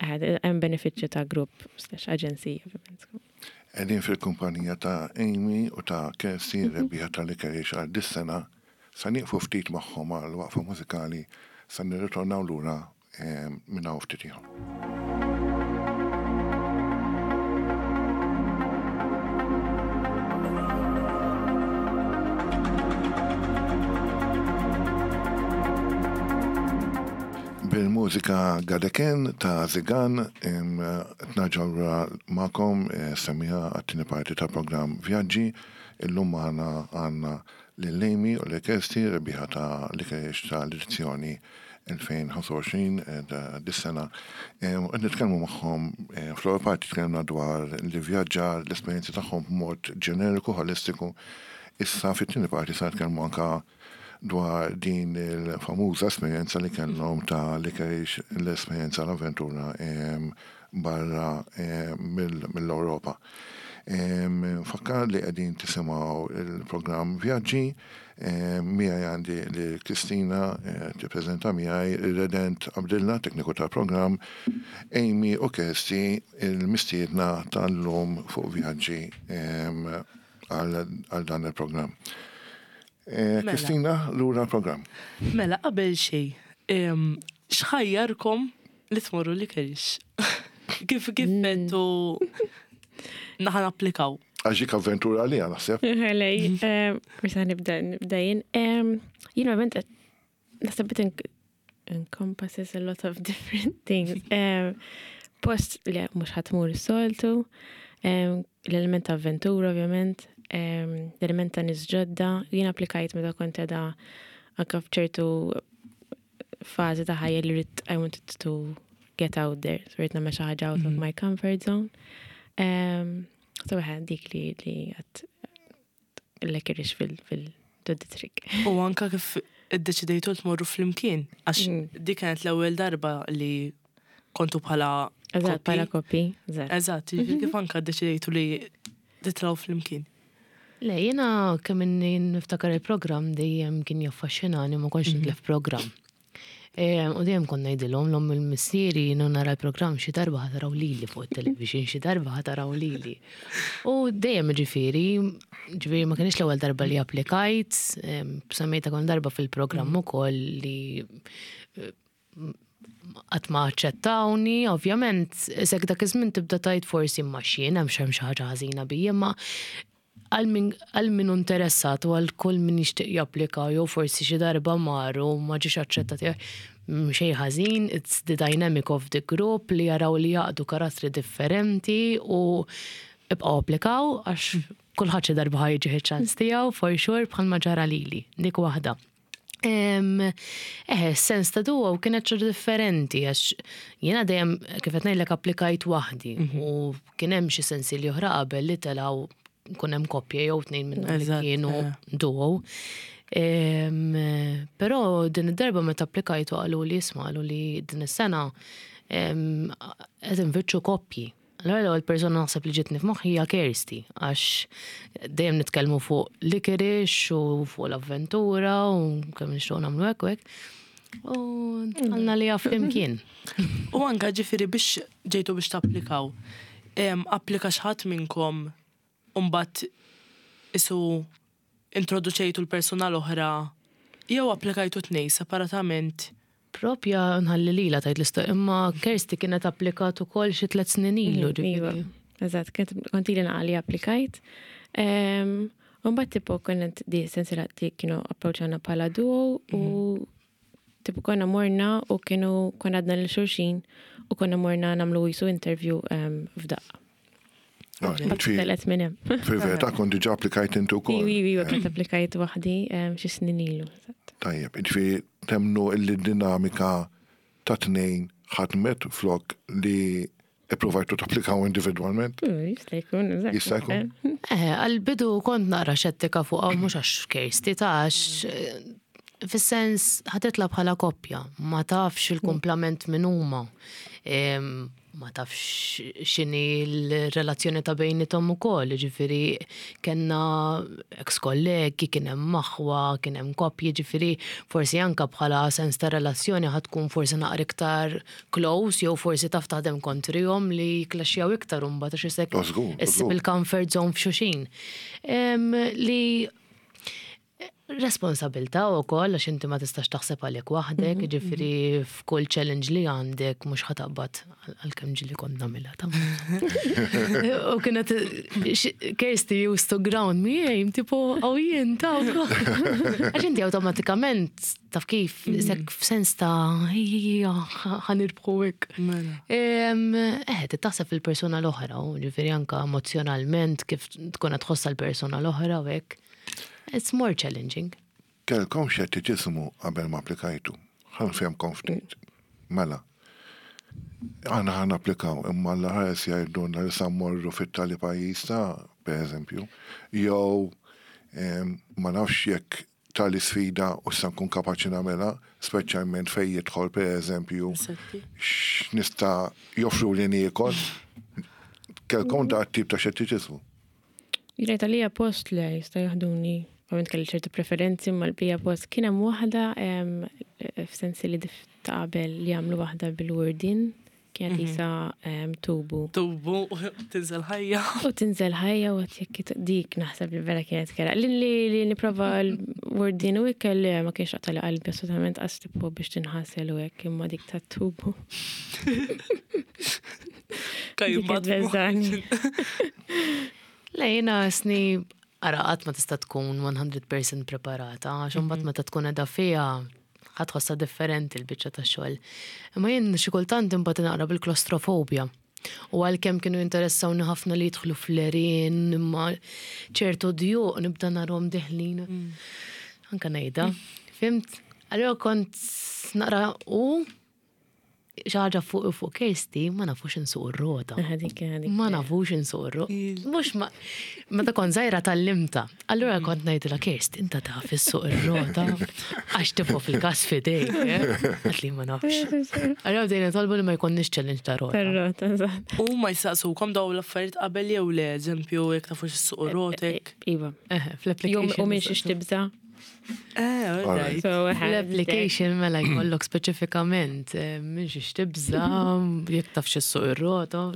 hemm benefiċċju ta' grupp slash aġenzija ovvjament. Qegħdin fil-kumpanija ta' Amy u ta' Kirsty, ir-rebbieħa tal-Licorice għal dis-sena. Sa nieqfu ftit magħhom għal waqfa mużikali sa nirritornaw lura minn hawn ftit ieħor. Bil-mużika Gadeken ta' Zigan qed nerġgħu lura magħkom semmiegħa għat-tieni parti tal-programm Vjaġġi. Illum magħna għandna lil Amy u lil Kirsty, rebbieħa ta' l-Licorice tal-edizzjoni 2025 ta' dis-sena. U qed nitkellmu magħhom fl-ewwel parti tkellimna dwar l-ivvjaġġar, l-esperjenzi tagħhom b'mod ġeneriku, ħolistiku. Issa fit-tieni parti se nitkellmu anke dwar din il-famuża esperjenza li kellhom ta' li kellix l-esperjenza l-avventura barra mill-Ewropa. Nfakkar li qegħdin tisimgħu il-programm Vjaġġi, miegħi għandi lil Kristina tippreżenta miegħi ir-Redent Abdilla, tekniku tal-programm, Amy u Kirsty il-mistiedna tal-lum fuq Vjaġġi għal dan il-programm. Mela. Kristina, lura l-programm. Mela, qabel xej, xħajjarkom li tmorru li kerix? Kif kif bentu naħan applikaw? Għax dik avventura li naħseb. Lej, forse nibda nibda jien. Jien ovvjament naħseb it encompasses a lot of different things. Post li mhux ħadd tmur is-soltu. L-element ta' avventura, ovvjament, l-element ta' nies ġodda. Jien applikajt meta kont qiegħda anke f'ċertu fażi ta' ħajja li ridt I wanted to get out there, so ridt nagħmel xi ħaġa out of my comfort zone. So eħe, dik li li għat l-ekirix fil-trick. U anka kif iddeċidejtu tmorru flimkien, għax dik kienet l-ewwel darba li kontu bħala Eżatt, bħala koppji. Eżatt, jiġifieri kif anka ddeċidejtu li titlgħu flimkien. Le, jiena kemm inni niftakar il-programm dejjem kien jaffaxxinani ma kontx nitlef programm. U dejjem kont ngħidilhom l-omm u l-missieri jiena nara l-programm xi darba ħa taraw lili fuq it-television, xi darba ħa taraw lili. U dejjem ġifieri, ġifieri ma kienx l-ewwel darba li applikajt, semmejta kont darba fil-programm ukoll li qatt ma aċċettawni, ovvjament, isek dak iż-żmien tibda tgħid forsi imma x'jien hemm xi ħaġa ħażina bija, imma għal min għal min hu interessat u għal kull min jixtieq japplika jew forsi xi darba mar u ma ġiex aċċettat xejn ħażin, it's the dynamic of the group li jaraw li jgħaqqdu karattri differenti u ibqgħu applikaw għax kulħadd xi darba ħa jiġih iċ-ċans tiegħu for sure bħalma ġara lili, dik waħda. Eħe, sens ta' duo kienet xi differenti għax jiena dejjem kif qed ngħidlek applikajt waħdi u kien hemm xi sensi li oħra qabel li telgħu kun hemm koppja jew tnejn minnhom li kienu duo. Però din id-darba meta applikajtu qalu li isma' qalu li din is-sena qed infittxu koppji. Allura l-ewwel persuna naħseb li ġietni f'moħħi hija Kirsty għax dejjem nitkellmu fuq licorice u fuq l-avventura u kemm nixtiequ nagħmlu hekk u hekk. U għalna li flimkien. U anka ġifieri biex ġejtu biex tapplikaw. Applika xi ħadd minnkom u mbagħad isu introduċejtu l-persuna l-oħra jew applikajtu tnej separatament? Propja nħalli lilha tgħid l-istorja, imma Kirsty kienet applikat ukoll xi tliet snin ilu, Iva, ġifieri. eżatt, kont ili naqra li applikajt. U mbagħad tipo kienet di sensiela li kienu approċċjawna bħala duo u tipo konna morna u kienu konna għadna lil xulxin u konna morna nagħmlu jisu interview f'daqqa. Telet minn hemm. Fil-verità kont diġà applikajt inti wkoll. Iwi, iwi, kont applikajt waħdi xi snin ilu. Tajjeb, ġifieri temnu illi dinamika ta' tnejn ħadmet flok li ippruvajtu tapplikaw individwalment? Jista' jkun, eżatt. Jista' jkun. Eh, għal-bidu kont naqra xettika fuq mhux għax Kirsty ta' għax fis-sens ħa titla' bħala koppja, ma tafx il-kumplament min huma. Ma tafx x'inhi l-relazzjoni ta' bejnithom ukoll, ġifieri kellna ex-kollegi, kien hemm aħwa, kien hemm koppji, ġifieri forsi anka bħala sens ta' relazzjoni ħa tkun forsi naqra iktar close jew forsi taf taħdem kontrihom li jklaxxjaw iktar imbagħad għax isek issib il-comfort zone f'xulxin. Li Responsabilità wkoll għax inti ma tistax taħseb għalik waħdek, jiġifieri f'kull challenge li għandek mhux ħa taqbad għalkemm ġieli kont nagħmilha ta'. U kienet Kirsty used to ground me, ej, tipo hawn jien ta' Għax inti awtomatikament taf kif isek f'sens ta' ejja ħa nirbħu hekk. Eh, trid taħseb fil-persuna l-oħra, u ġifieri anke emozjonalment kif tkun qed tħossha l-persuna l-oħra u hekk. It's more challenging. Kellkom xettiċiżmu qabel ma applikajtu. Ħa nfehemkom ftit. Mela. Aħna ħa napplikaw imma l-ħares jgħidulna li sa mmorru fit-tali pajjiż ta' per eżempju, jew ma nafx jekk tali sfida u sa nkun kapaċi nagħmilha, speċjalment fejn jidħol per eżempju x'nista' joffru li niekol. Kellkom da tip ta' xettiċiżmu. Jirajt għalija post le jista' jaħduni. Ovvjament kelli ċertu preferenzi ma l-bija post kien hemm waħda f'sensi li dif ta' qabel li għamlu waħda bil-wordin kienet isa tubu. Tubu, tinżel ħajja. U tinżel ħajja u għat jekk dik naħseb li vera kienet kera. Li li nipprova l-wordin u ikel li ma kienx qatali qalbi assolutament għax tipo biex tinħasel u hekk imma dik ta' tubu. Dik Dik beżani. Le, jiena sni ara qatt ma tista' tkun 100% preparata, għax imbagħad meta tkun qiegħda fiha ħa tħossha differenti l-biċċa tax-xogħol. Imma jien xi kultant imbagħad naqra bil-klostrofobja. U għalkemm kienu jinteressawni ħafna li jidħlu fl-għerien, imma ċertu djuq nibda narhom deħlin. Anka ngħidha, fimt? Allura kont naqra u xi ħaġa fuq fuq Kirsty ma nafux insuq ir-rota. Ma nafux insuq ir-rota. Mhux ma meta kont żgħira tgħallimtha. Allura kont ngħidilha Kirst, inta taf issuq ir-rota għax tifo fil-każ f'idejk. Għat li ma nafx. Allura bdejna nitolbu li ma jkollniex challenge ta' rota. Tar-rota, eżatt. U ma jsaqsukom dawn l-affarijiet qabel jew le, eżempju, jekk tafux issuq ir-rotek. Iva. Fl-application. U minn xiex tibża'. Eh, L-application mela jkollok speċifikament eh, minn xiex tibża, jekk taf x'issuq ir-rota.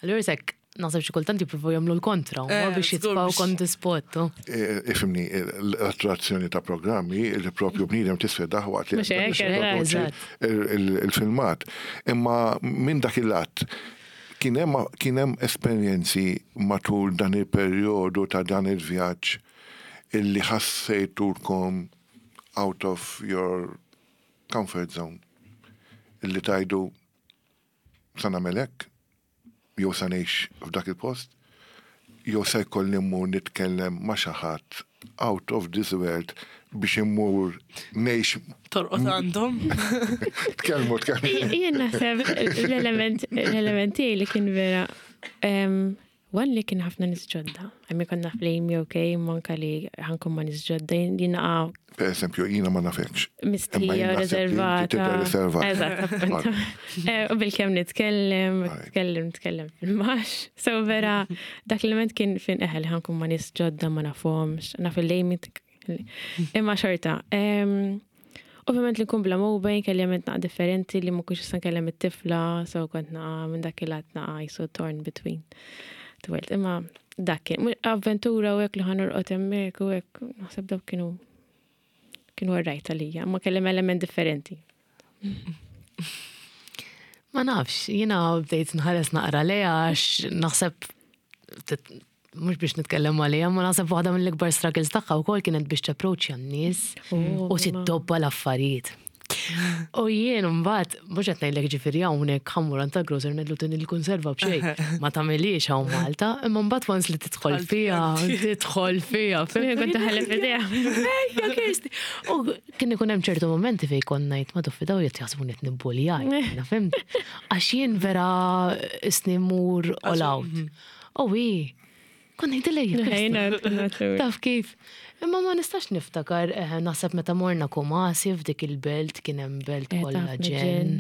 Allura sekk naħseb xi kultant jippruvaw jagħmlu l-kontra, ma eh, biex jitfgħu on the spot. Ifimni, l-attrazzjoni ta' programmi li propju bniedem tisfedaħ waqt li il-filmat. Imma minn dak il-att kien hemm esperjenzi matul dan il-perjodu ta' dan il-vjaġġ illi ħassejtulkom out of your comfort zone, illi tgħidu sa nagħmel hekk, jew sa ngħix f'dak il-post, jew se jkolli mmur nitkellem ma' xi ħadd out of this world biex immur ngħix. Torqod għandhom. Tkellmu, tkellmu. Jien naħseb l-element l-element tiegħi li kien vera One li kien ħafna nies ġodda. Għammi konna fl-Amy, ok, manka li ħankun ma nies ġodda, jien naqa. Per eżempju, jiena ma nafekx. Mistija, riservata. Riservata. Eżatt, eh, U bil-kem nitkellem, nitkellem, nitkellem fil-max. So vera, dak l-element kien fin eħel ħankun ma nies ġodda ma nafhomx, naf il-Amy Imma xorta. Ovvjament li nkun bla mobile, kelli għamilt naqa differenti li ma kunx nista' nkellem it-tifla, so kont naqa minn dak il-għat naqa jisu torn between the world. Imma dak kien, avventura u hekk li ħa norqod hemmhekk u hekk, naħseb dawk kienu kienu għarrajt għalija, ma kellem element differenti. Ma nafx, jiena bdejt nħares naqra lejha għax naħseb mhux biex nitkellem għaliha, ma naħseb waħda mill-ikbar struggles tagħha wkoll kienet biex tapproċċja n-nies oh, u tiddobba l-affarijiet. U jien mbagħad mhux qed ngħidlek ġifieri hawnhekk ħammur għand tal-grocer ngħidlu din il-kunserva b'xejn. Ma tagħmilhiex hawn Malta, imma mbagħad once li tidħol fiha, tidħol fiha. Kont taħlef idea. Ejja Kirsti. U kien ikun hemm ċertu momenti fejn kont ngħid ma tuffi daw qed jaħsbuni qed nibbuljaj, fimt? Għax jien vera isni mur all out. Mhm. Oh i, kon ngħidilha jien. Taf kif. Imma ma nistax niftakar, eh, naħseb meta morna Kumasi f'dik il-belt kien hemm belt eh, kollha ġen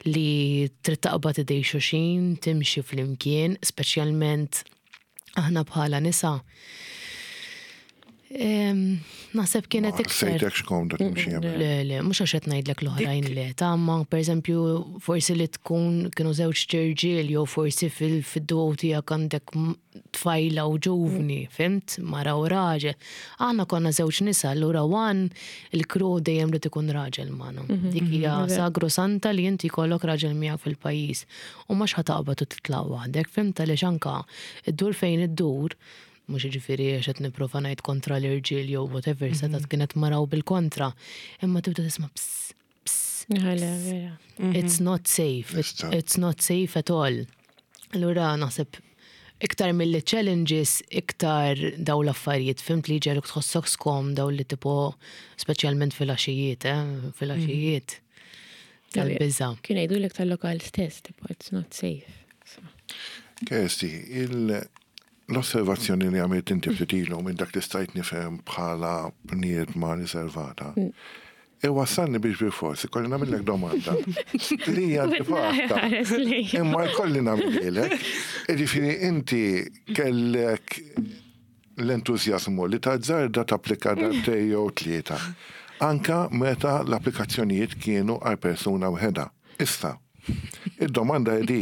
li trid taqbad idej xuxin, timxi flimkien, speċjalment aħna bħala nisa. Naħseb kienet iktar. Sejtek xkomda timxi hemm. Le, le, mhux għax qed ngħidlek l-oħrajn le, ta' ma pereżempju forsi li tkun kienu żewġ ċirġiel jew forsi fil-duo tiegħek għandek tfajla u ġuvni, fimt? Mara u raġel. Aħna konna żewġ nisa, allura one il-crew dejjem rid ikun raġel magħna. Mhm, Dik hija mhm, sagru santa li inti jkollok raġel miegħek fil-pajjiż. U mhux ħataqbad u titlaq waħdek, fimt għaliex anka iddur fejn iddur Mhux jiġifieri għax qed nipprova ngħid kontra l-irġiel jew whatever, mhm. setgħet kienet mara u bil-kontra. Imma tibda tisma' pss, pss. Mhm. It's not safe. It's not safe at all. Allura naħseb iktar mill challenges, iktar daw l-affarijiet, fimt li ġeruk tħossok skom daw li tipo, speċjalment fil-għaxijiet, eh, fil-għaxijiet. Mhm. Tal-biża. Kien jgħidulek tal-lokal stess, tipo, it's not safe. Kersti, il L-osservazzjoni li għamilt inti ftit ilu minn dak li stajt nifhem bħala bniedma riservata, iwassalni biex bilfors ikolli nagħmillek domanda li hija antipatka. Imma jkolli nagħmilhielek. Jiġifieri inti kellek l-entużjażmu li tazzarda tapplika darbtejn jew tlieta, anke meta l-applikazzjonijiet kienu għal persuna wħedha. Issa, id-domanda hi di,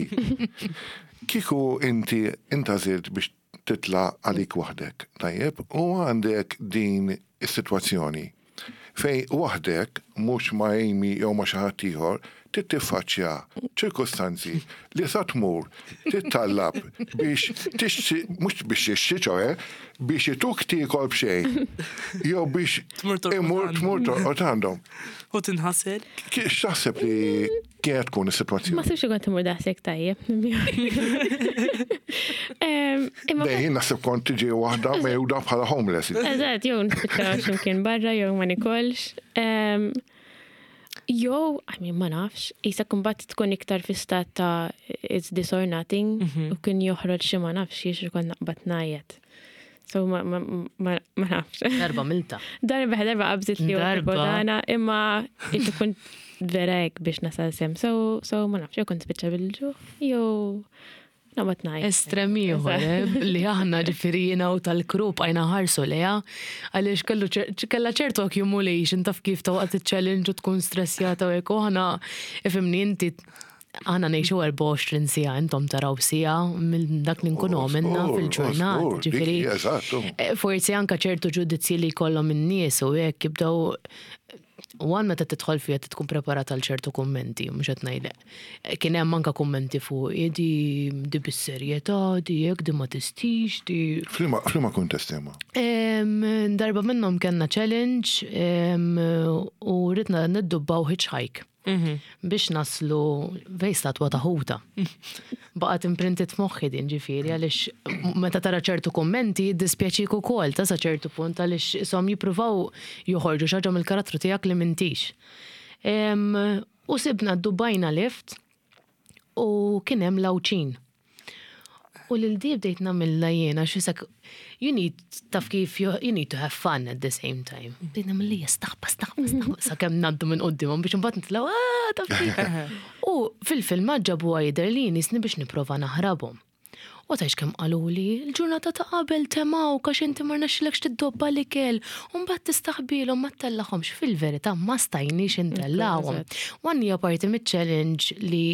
kieku inti intgħażilt biex titla' għalik waħdek, tajjeb, u għandek din is-sitwazzjoni fejn waħdek, mhux ma' Amy jew ma' xi ħadd ieħor, Trid tiffaċċja ċirkustanzi li sa tmur tittallab biex tixtri, mhux biex tixtri ċoe, biex ituk tiekol b'xejn. Jew biex imur tmur torqod għandhom. U tinħasel. X'taħseb li kienet tkun is-sitwazzjoni? Ma sibx kont imur daqshekk tajjeb. Dejjem jien naħseb kont tiġi waħda mejda bħala homeless. Eżatt, jew nispiċċa x'imkien barra jew ma nikolx. Jew, I mean, ma nafx, jisa kumbat tkun iktar fi stat ta' it's this or nothing, mhm. u kien joħroġ xi ma nafx jiex kont naqbad ngħajjat. So ma, ma, ma, ma nafx. Darba milta. Darba, darba qabżit li darba. Dana, imma ikun vera hekk biex nasal sem. So, so ma nafx, jew kont spiċċa bil-ġuħ, jew Noqgħod ngħid. Estrem ieħor eh, li aħna ġifieri jiena u tal-kru bqajna ħarsu leha għaliex kellu kellha ċertu accumulation taf kif ta' waqt iċ-challenge u tkun stressjata u hekk u aħna ifhimni inti aħna ngħixu 24 siegħa intom taraw siegħa minn dak li nkunu għamilna fil-ġurnata. Ġifieri eh, forsi anke ċertu ġudizzji li jkollhom in-nies u hekk jibdew One meta tidħol fiha tkun preparat għal ċertu kummenti, mhux qed ngħidlek. Kien hemm anke kummenti fuq di di bis-serjetà, di hekk, di ma tistix, di. F'liema kuntest imma? Darba minnhom kellna challenge u ridna niddubbaw hitchhike. Mhm. Biex naslu fej statwa ta' ħuta. Baqgħet imprinted f'moħħi din ġifieri għaliex meta tara ċertu kummenti jiddispjaċik ukoll ta' sa ċertu punt għaliex ishom jippruvaw joħorġu xi ħaġa mill-karattru tiegħek li m'intix. U sibna ddubbajna lift u kien hemm l-Għawdxin. U lil di bdejt nagħmilha jien għax isek you need taf kif you need to have fun at the same time. Bdejt nagħmel lija staħba staħba staħba sakemm ngħaddu minn quddiemhom biex imbagħad nitilgħu ah taf kif. U fil-filmat ġabuha jidher li jien jisni biex nipprova naħrabhom. U tgħidx kemm qaluli, il-ġurnata ta' qabel temgħuk għax inti ma rnexxilekx tiddobba l-ikel u mbagħad tistaħbielhom ma ttellagħhomx. Fil-verità ma stajniex intellgħuhom. One hija parti miċ-challenge li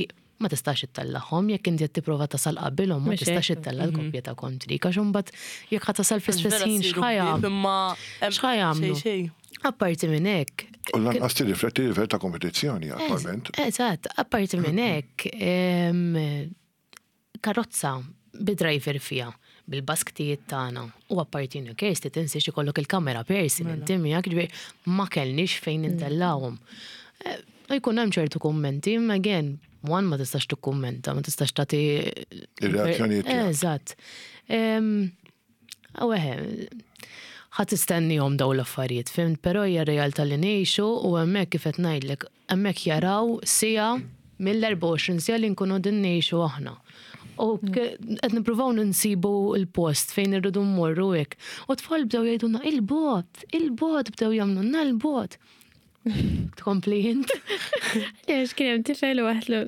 ma tistax ittellagħhom jekk inti qed tipprova tasal qabilhom ma tistax ittella' l-koppja ta' kontrik għax imbagħad jekk ħa tasal fl-istess ħin x'ħa x'ħa jagħmlu. Apparti minn hekk. U lanqas tirrifletti l-livell ta' kompetizzjoni attwalment. Eżatt, apparti minn hekk karozza bi driver fiha, bil-basktijiet tagħna u apparti minn hekk Kirsty tinsiex ikollok il-kamera person mela. inti miegħek ġifieri ma kellniex fejn mm. intellawhom. Eh, jkun hemm ċertu kummenti, imma again, one ma tistax tikkummenta, ma tistax tagħti ir-reazzjonijiet. Eżatt. U eħe, ħa tistennihom dawn l-affarijiet, fhimt, però hija r-realtà li ngħixu u hemmhekk kif qed ngħidlek, hemmhekk jaraw siegħa mill-24 siegħa li nkunu qegħdin ngħixu aħna. U qed nippruvaw nsibu l-post fejn irridu mmorru hekk. U t-tfal bdew jgħidulna il-bogħod, il-bogħod bdew jagħmlulna l-bogħod. Tkompli int. Għax kien hemm tifel u għatlu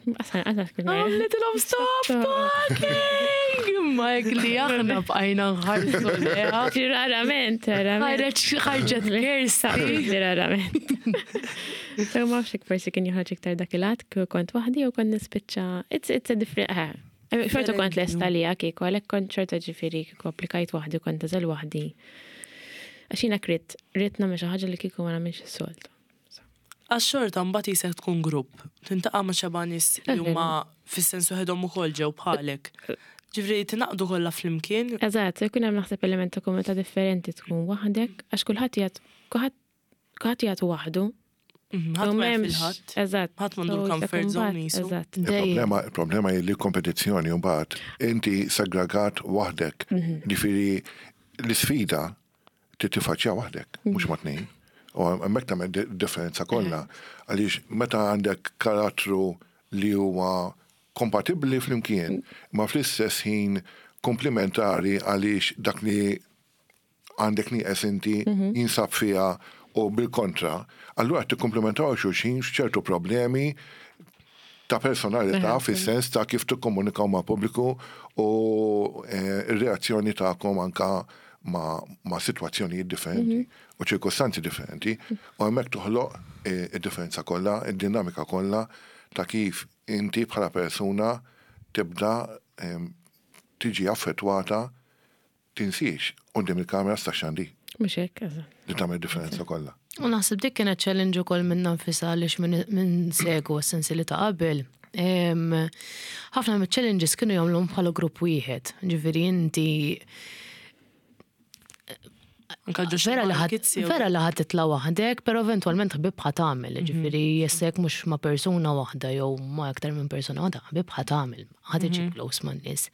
Għamlitilhom stop talking! Imma hekk li aħna bqajna nħarsu leha. Rarament, rarament. Ħarġet Kirsty. Rarament. So ma nafx forsi kien joħroġ iktar dak il-għad kieku kont waħdi u kont nispiċċa. It's, it's a different, eh. Xorta kont lesta li kieku, għalhekk kont xorta ġifieri kieku applikajt waħdi kont tażel waħdi. Għax jiena ridt, ridt nagħmel xi ħaġa li kieku ma nagħmilx is-soltu. Għax xorta mbagħad jisek tkun grupp, tintaqa' ma' xeba' nies li huma fis-sens waħedhom ukoll ġew bħalek. Ġifieri tingħaqdu kollha flimkien. Eżatt, ikun hemm naħseb element ta' komunità differenti tkun waħdek, għax kulħadd qiegħed kulħadd kulħadd qiegħed waħdu. Mhm, ħadd ma jaf il-ħadd. Eżatt. Ħadd m'għandu l-comfort zone qisu. Eżatt. Il-problema, il-problema hi li kompetizzjoni mbagħad inti segregat waħdek. Mhm. Ġifieri l-isfida trid tiffaċċja waħdek, mhux ma' tnejn. U hemmhekk tagħmel differenza kollha. Għaliex meta għandek karattru li huwa kompatibbli flimkien, ma fl-istess ħin komplementari għaliex dak li għandek nieqes inti mhm. jinsab fiha u bil-kontra, allura tikkomplementaw xulxin f'ċertu problemi ta' personalità fis-sens ta' kif tikkomunikaw ma' pubbliku u eh, r-reazzjoni tagħkom anka ma', ma sitwazzjonijiet differenti mhm. u ċirkostanzi differenti u hemmhekk toħloq eh, id-differenza kollha, id-dinamika kollha ta' kif inti bħala persuna tibda ehm, tiġi affettwata tinsiex quddiem il-kameras tax-xandir. Mhux hekk, eżatt. Li tagħmel differenza kollha. U naħseb dik kienet challenge ukoll minnha nfisha għaliex min segwa s-sensieli ta' qabel. Ħafna mill-challenges kienu jagħmluhom bħala grupp wieħed. Ġifieri inti Vera li ħadd vera li ħadd titla' waħdek, però eventwalment ħbieb ħa tagħmel, mhm. ġifieri jessek mhux ma' persuna waħda jew ma' aktar minn persuna waħda, ħbieb ħa tagħmel, ħa tiġi mhm. close man-nies.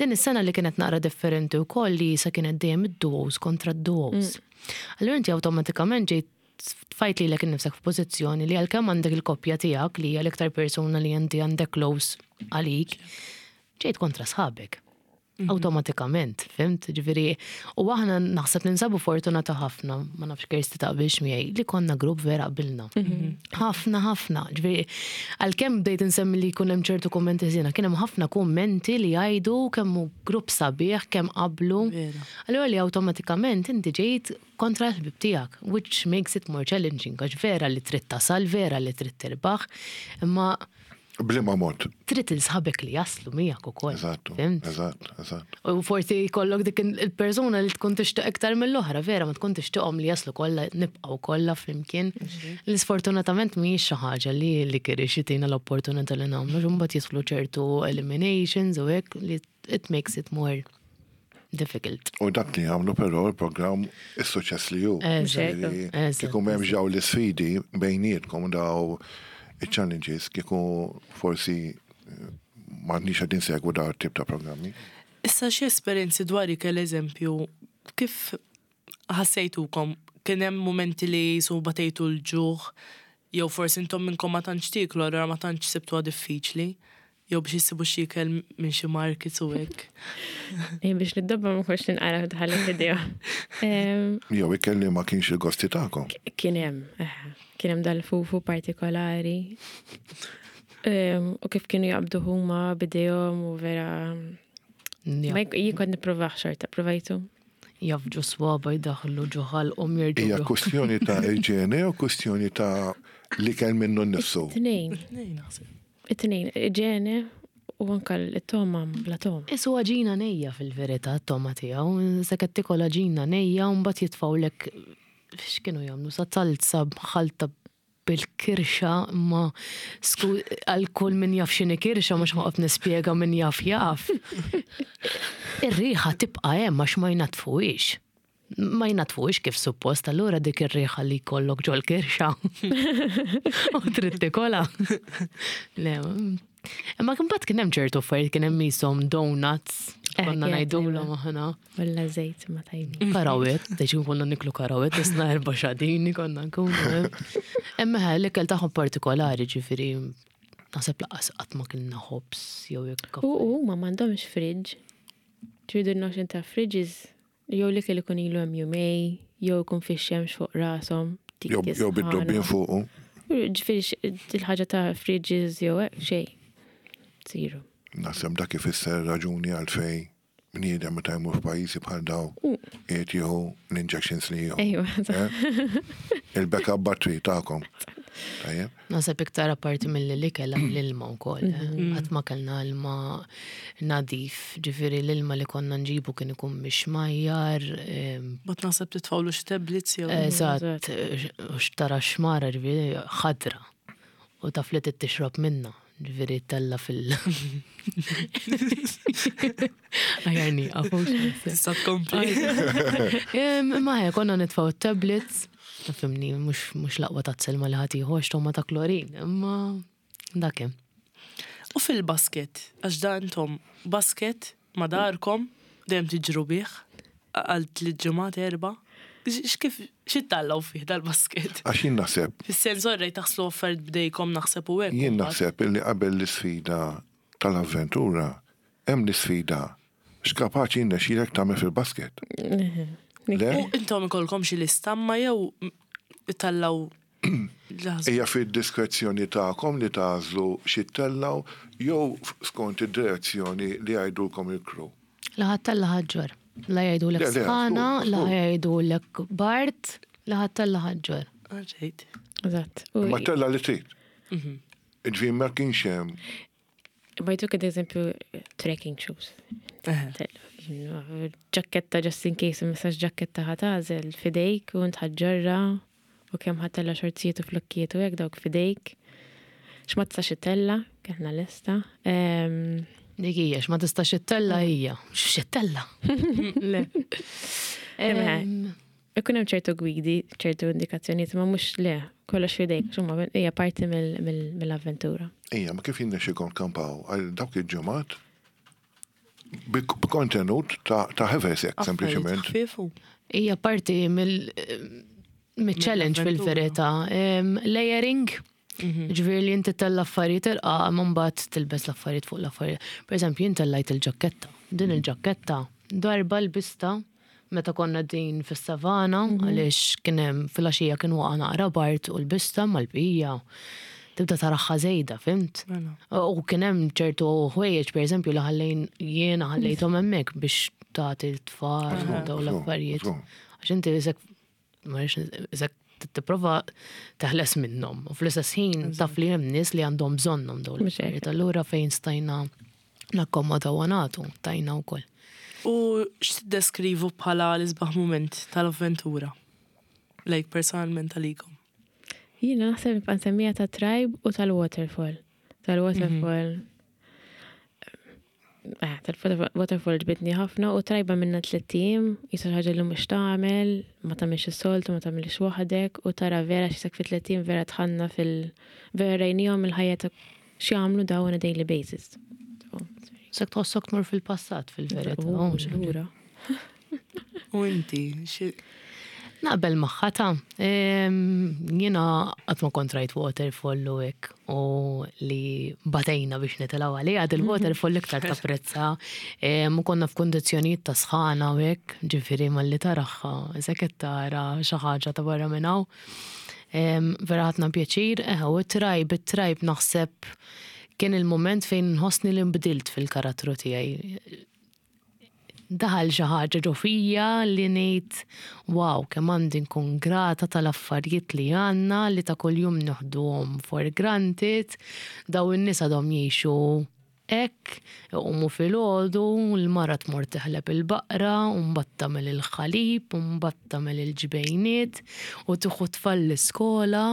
Din is-sena li kienet naqra differenti wkoll li sa kienet dejjem id-duos kontra d-duos. Mm. Allura inti awtomatikament ġejt tfajt lilek innifsek f'pożizzjoni li għalkemm għandek il-koppja tiegħek li hija l-iktar persuna li inti għandek close għalik, ġejt kontra sħabek. Mhm. Awtomatikament, fimt? Ġifieri, u aħna naħseb ninsabu fortunata ħafna, ma nafx Kirsti taqbilx miegħi, li konna grupp vera qbilna. Mhm. Ħafna, ħafna. Ġifieri, għalkemm bdejt insemmi li jkun hemm ċertu kummenti ħżiena, kien hemm ħafna kummenti li jgħidu kemm hu grupp sabiħ, kemm qablu. Allura li awtomatikament inti ġejt kontra l-ħbieb tiegħek, which makes it more challenging, għax vera li trid tasal, vera li trid tirbaħ, imma B'liema mod? Trid il sħabek li jaslu miegħek ukoll. Eżatt. Eżatt, eżatt. U forsi jkollok dik il-persuna li tkun tixtieq iktar mill-oħra, vera ma tkun tixtieqhom li jaslu kollha nibqgħu kollha flimkien. Li sfortunatament mhijiex xi ħaġa li li kirix jitina l-opportunità li nagħmlu, mbagħad jidħlu ċertu eliminations u hekk li it makes it more difficult. U dak li jagħmlu però l-programm is-suċċess li hu. Kieku m'hemmx daw l-isfidi bejnietkom daw iċ-challenges kieku forsi eh, m'għandniex qegħdin insegwu daw tip ta' programmi. Issa xi esperjenzi dwar ikel eżempju, kif ħassejtukom? Kien hemm mumenti li jisu batejtu l-ġuħ jew forsi intom minnkom ma tantx tieklu allura ma tantx sibtuha diffiċli? Jew biex issibu xi ikel minn xi markets u hekk. Ej, biex niddobba ma kontx ninqara tħalli f'idejha. Jew ikel li ma kienx il-gosti tagħkom. Kien hemm, eh, kien hemm dal-fufu partikolari. U kif kienu jaqbdu huma bidejhom u vera. Ma jien kont nippruvah xorta, provajtu. Jafġu swaba jdaħlu ġo ħalqhom jerġgħu. Hija kwestjoni ta' iġene jew kwestjoni ta' l-ikel minnu nnifsu? Tnejn. Tnejn naħseb. It-tnejn, iġene u anka l-toma bla toma. Isu għaġina nejja fil-verità t-toma tiegħu, se qed tikol għaġina nejja u mbagħad jitfgħulek x'kienu jagħmlu sa talza b'ħalta bil-kirxa imma għal kull min jaf x'inhi kirxa mhux ħoqgħod nispjega min jaf jaf. Ir-riħa tibqa' hemm għax ma jnaddfuhiex. Ma jnaddfuhiex kif suppost, allura dik ir-riħa li jkollok ġol-kirxa u trid tikolha. Le, imma kien mbagħad kien hemm ċertu affarijiet kien hemm qishom donuts, eh, konna ngħidulhom aħna. Walla żejt ma tajbin. Karawet, deċin konna niklu karawet, isna erba' xadini konna nkunu. Imma l-ikel tagħhom partikolari ġifieri naħseb laqas qatt ma kilna ħobż jew jekk. U huma m'għandhomx fridge. Ġifieri notion ta' fridges Jew l-ikel ikun ilu hemm jumej, jew ikun fix-xemx fuq rashom. Jew bid-dubbien fuqu. Ġifieri il-ħaġa ta' fridges jew hekk xejn. Zero. Naħseb dak ifisser raġuni għalfejn bniedem meta jmur f'pajjiżi bħal dawn qiegħed jieħu l-injections li jieħu. Ejwa. Il-backup battery tagħkom. Tajjeb. Naħseb iktar apparti milli l-ikel l-ilma wkoll. Eh. Mm. Qatt ma kellna ilma nadif, ġifieri l-ilma li konna nġibu kien ikun mixmajjar. Bat naħseb titfawlu xi tablets jew. Eżatt, u xtara xmara ġifieri ħadra. U taf li tixrob minna, ġifieri tella fil. Ajarni, għafu. Tista' tkompli. Ma konna nitfaw tablets. Fimni, mhux l-aqwa ta' selma li ħadd ieħor x'toma ta' klorin, imma dak hemm. U fil-basket, għax da intom basket ma' darkom dejjem tiġru bih għal tliet ġimgħat erba'. X'kif x'ittallaw fih dal-basket? Għax jien naħseb. Fis-sens orrej taħslu affarijiet b'dejkom naħseb u hekk. Jien naħseb illi qabel l-isfida tal-avventura hemm l-isfida X'kapaċi jirnexxilek tagħmel fil-basket? Le? U intom ikollkom xi lista ma jew ittellgħu Hija fid-diskrezzjoni tagħkom li tagħżlu xi ttellgħu jew skont id-direzzjoni li jgħidulkom il-crew? La ħa ttella' ħaġġor. La jgħidulek sħana, la jgħidulek bard, la ħa ttella' ħaġġor. Alright. Eżatt. Ma tella' li trid. Mhm. Ġifieri ma kienx hemm Ma jtuk ad eżempju trekking shoes. Ġakketta just in case, messaġ ġakketta ħatażel fidejk u ntħadġorra. U kemm ħa ttella' xorzijiet u flokkijiet u hekk dawk f'idejk. X'ma tistax ittella', kellna lista. Dik hija, x'ma tistax ittella' hija. X'ittella'? Le. Ikun hemm ċertu gwidi, ċertu indikazzjonijiet, ma mhux le, kollox f'idejk, insomma, hija parti mill-avventura. Ija, ma kif jinnexxikom tkampaw għal dawk il-ġimgħat b'kontenut ta' ħefesek, sempliċement. Hija parti mill-challenge fil-verità. Layering, mhm. ġifieri li inti tella affarijiet irqa' ma mbagħad tilbes l-affarijiet fuq l-affarijiet. Per eżempju, jien tellajt il-ġakketta. Din mhm. il-ġakketta darba l-bista meta konna din fis-savana mhm. għaliex kien hemm filgħaxija kien waqa' naqra bart u l-bista mal-bqija tibda taraħħa żejda, fimt? Mela. U kien hemm ċertu ħwejjeġ pereżempju li ħallejn jiena ħallejthom hemmhekk biex tagħti l-tfal u dawn l-affarijiet. Għax inti isek ma isek tipprova teħles minnhom u fl-istess ħin taf li hemm nies li għandhom bżonnhom dawn l-affarijiet. Allura fejn stajna nakkomodaw u nagħtu, tajna wkoll. U x'tiddeskrivu bħala l-isbaħ mument tal-avventura? Like personalment għalikom. Jiena naħseb nibqa' nsemmija ta' tribe u tal-waterfall. Tal-waterfall. Eh, tal-waterfall ġbidni ħafna u trajba minna tliet ijiem, jisa ħaġa li mhux tagħmel, ma tagħmilx is-soltu, ma tagħmilx waħdek u tara vera x'isek fi 3 ijiem vera tħanna fil- vera rajnihom il-ħajja ta' x'jagħmlu daw on a daily basis. Sek tħossok tmur fil-passat fil-verità. Lura. U inti, xi Naqbel magħha ta' jiena qatt ma kont rajt waterfall u hekk u li batejna biex nitilgħu għaliha il-waterfall iktar tapprezza. U konna f'kundizzjonijiet ta' sħana u hekk, ġifieri malli taraha, se qed tara xi ħaġa ta' barra minn hawn. Vera ħadna pjaċir, eh, u it-tribe, it-tribe naħseb kien il-moment fejn nħossni li nbdilt fil-karattru tiegħi. Daħal xi ħaġa ġo fija li ngħid wow, kemm għandi nkun grata tal-affarijiet li għandna li ta' kuljum nieħduhom for granted, daw in-nies għadhom jgħixu hekk, iqumu filgħodu, l-mara tmur teħleb il-baqra, u mbagħad tagħmel il-ħalib, u mbagħad tagħmel il-ġbejniet, u tieħu tfal l-iskola.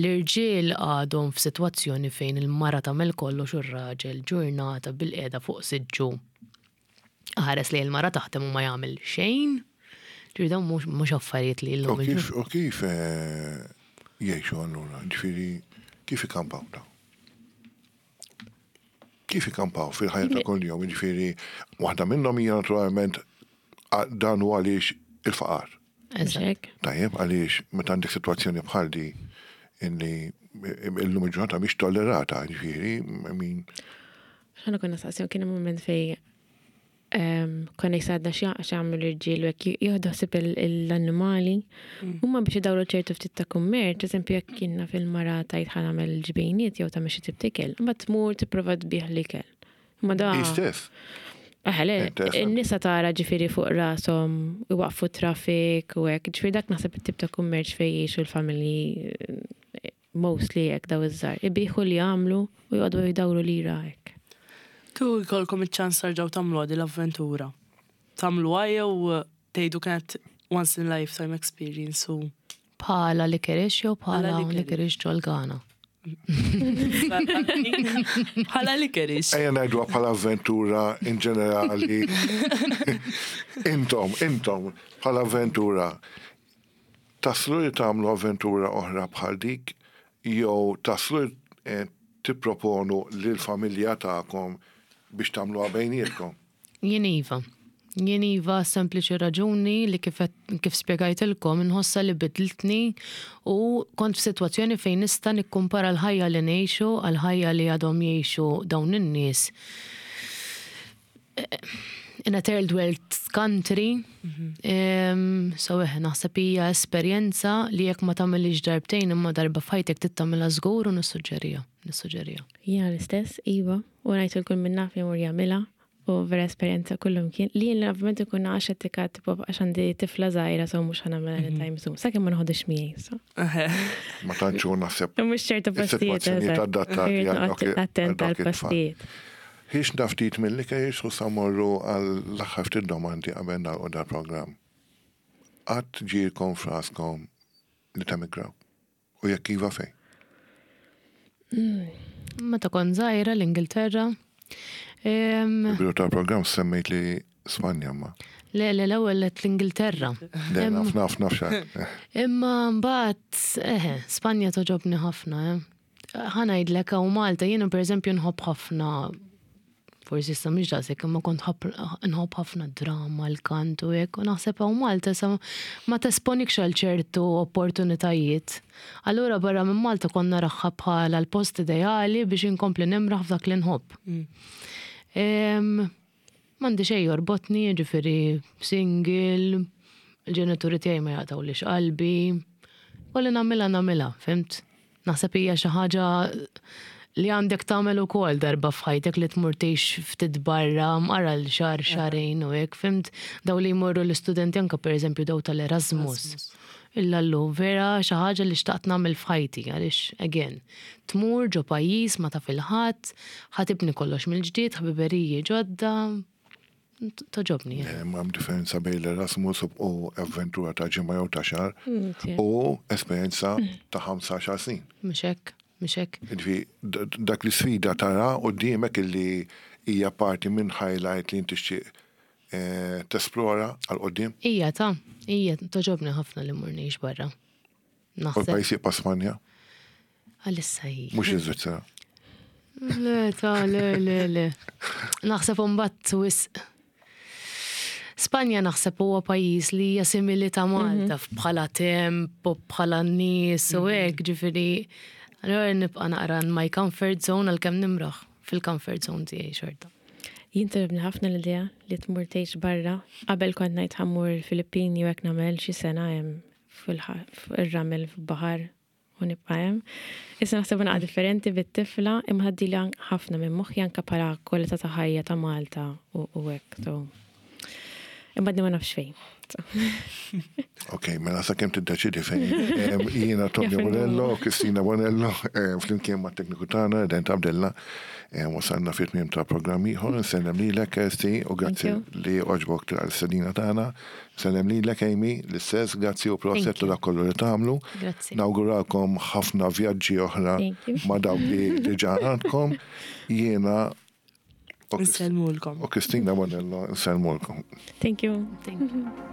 L-irġiel għadhom f'sitwazzjoni fejn il-mara tagħmel kollox u r-raġel ġurnata bil-qiegħda fuq siġġu ħares li l-mara taħdem u ma jagħmel xejn. Ġifieri dawn mhux affarijiet li U llum kif, u kif eh, jgħixu allura? Ġifieri, kif ikampaw daw? Kif ikampaw fil-ħajja ta' kuljum? Ġifieri, waħda minnhom hija naturalment dan hu għaliex il-faqar. Eżatt. Tajjeb, għaliex meta għandek sitwazzjoni bħal di illi illum il-ġurnata mhix tollerata, ġifieri, I mean, Ħana konna saqsjon kien hemm moment fej konna jisadna x'jagħmlu l-irġiel u hekk jieħdu ħsieb l-annimali. Huma biex idawru ċertu ftit ta' kummerċ, eżempju jekk kienna fil-mara tajt ħa nagħmel ġbejniet jew tagħmel xi tip t'ikel, imbagħad tmur tipprova tbigħ l-ikel. Ma da. Istess. Eħe, le, in-nisa tara ġifieri fuq rashom iwaqfu traffic u hekk. Ġifieri dak naħseb it-tip ta' kummerċ fejn jgħixu l-familji mostly hekk daw iż-żgħar. Ibigħu li jagħmlu u joqogħdu jdawru lira hekk. Kieku jkollkom iċ-ċans terġgħu tagħmluha din l-avventura. Tagħmluha jew tgħidu kienet once in a lifetime experience u Bħala licorice jew bħala licorice ġol-Ghana? Bħala licorice. Ejja ngħiduha bħala avventura in ġenerali. Intom, intom, bħala avventura. Taslu li tagħmlu avventura oħra bħal dik jew taslu eh, tipproponu lill-familja tagħkom biex tagħmluha bejnietkom? Jien iva. Jien iva sempliċi raġuni li kif, kif spjegajtilkom inħossa li bidlitni u kont f'sitwazzjoni fejn nista' nikkumpara l-ħajja li ngħixu għal ħajja li għadhom jgħixu dawn in-nies in a third world country. Mm So eħe, naħseb hija esperjenza li jekk ma tagħmilix darbtejn imma darba f'ħajtek trid tagħmilha żgur u nissuġġeriha, nissuġġeriha. Jiena l-istess, iva, u ngħid kull min naf jmur jagħmilha u vera esperjenza kullum kien. Li jien ovvjament ikun għax etika tipo għax għandi tifla żgħira so mhux ħa nagħmilha anytime soon. Sakemm ma noħodix miegħi. So. Ma tantx hu naħseb Mhux ċertu postijiet. is-sitwazzjonijiet eżatt. adattati Irrid għal noqgħod dawk attent għal dawk it-tfal. għall-postijiet. Ħiexna ftit mill-licorice u sa mmorru għall-aħħar ftit domandi qabel nagħlqu dal-programm. Qatt ġielkom f'raskom li temigraw? U jekk iva fejn? Meta kont żgħira l-Ingilterra. Il-bidu tal-programm semmejt li Spanja ma. Le, le, l-ewwel għedt l-Ingilterra. Le, naf, naf, naf xa. Imma mbagħad, eħe, Spanja togħġobni ħafna, eh. Ħa ngħidlek hawn Malta jiena pereżempju nħobb ħafna forsi issa mhix daqshekk imma kont nħobb ħafna drama, l-kant u hekk u naħseb hawn Malta sa ma tesponikx għal ċertu opportunitajiet. Allura barra minn Malta kont naraha bħala l-post ideali biex inkompli nimraħ f'dak li nħobb. M'għandi xejn jorbotni, jiġifieri single, il-ġenituri tiegħi ma jaqtgħulix qalbi. U li nagħmilha nagħmilha, fhimt? Naħseb hija xi ħaġa li għandek tagħmel ukoll darba f'ħajtek li tmur tgħix ftit barra, mqar għal xahar xahrejn u hekk, fhimt? Daw li jmorru l-istudenti anke pereżempju daw tal-Erasmus. Illallu, vera xi ħaġa li xtaqt nagħmel f'ħajti għaliex again, tmur ġo pajjiż ma taf 'il ħadd, ħa tibni kollox mill-ġdid, ħbiberiji ġodda, togħġobni. Hemm differenza bejn l-Erasmus u avventura ta' ġimgħa jew ta' xahar u esperjenza ta' 15 snin. Mhux hekk, mhux hekk. Jiġifieri dak l-isfida tara quddiemek illi hija parti minn highlight li inti tixtieq tesplora għal quddiem? Ija ta, ija togħġobni ħafna li mmur ngħix barra. U l-pajjiż jibqa' Spanja? Għalissa hi. Mhux l-Iżvizzera. Le, ta, le, le, le. Naħseb imbagħad wisq. Spanja naħseb huwa pajjiż li hija simili ta' Malta mhm. bħala temp u bħala nies u mhm. hekk, ġifieri. Allura nibqa' naqra my comfort zone għalkemm nimraħ fil-comfort zone tiegħi xorta. Jien togħġobni ħafna l-idea li tmur tgħix barra. Qabel kont ngħid ħa mmur il-Filippini u hekk nagħmel xi sena hemm fil-ramel fil-baħar u nibqa' hemm. Issa naħseb naqa' differenti bit-tifla imma tgħaddili ħafna minn moħħi anke bħala kwalità ta' ħajja ta' Malta u hekk. So. Imma għadni ma nafx fejn. Ok, mela sakemm tiddeċidi fejn. Jiena Tony Bonello, Kristina Bonello, flimkien ma' tekniku tagħna, Dent Abdella, wasalna fit tmiem ta' programm ieħor, nsellem lilek Kirsty u grazzi li għoġbok tilqa' l-istedina tagħna. Nsellem lilek Amy, l-istess, grazzi u proset ta' dak kollu li tagħmlu. Nawguralkom ħafna vjaġġi oħra ma' dawk li diġà għandkom. Jiena Nsellmulkom. U Kristina Bonello, nsellmulkom. Thank you. Thank you.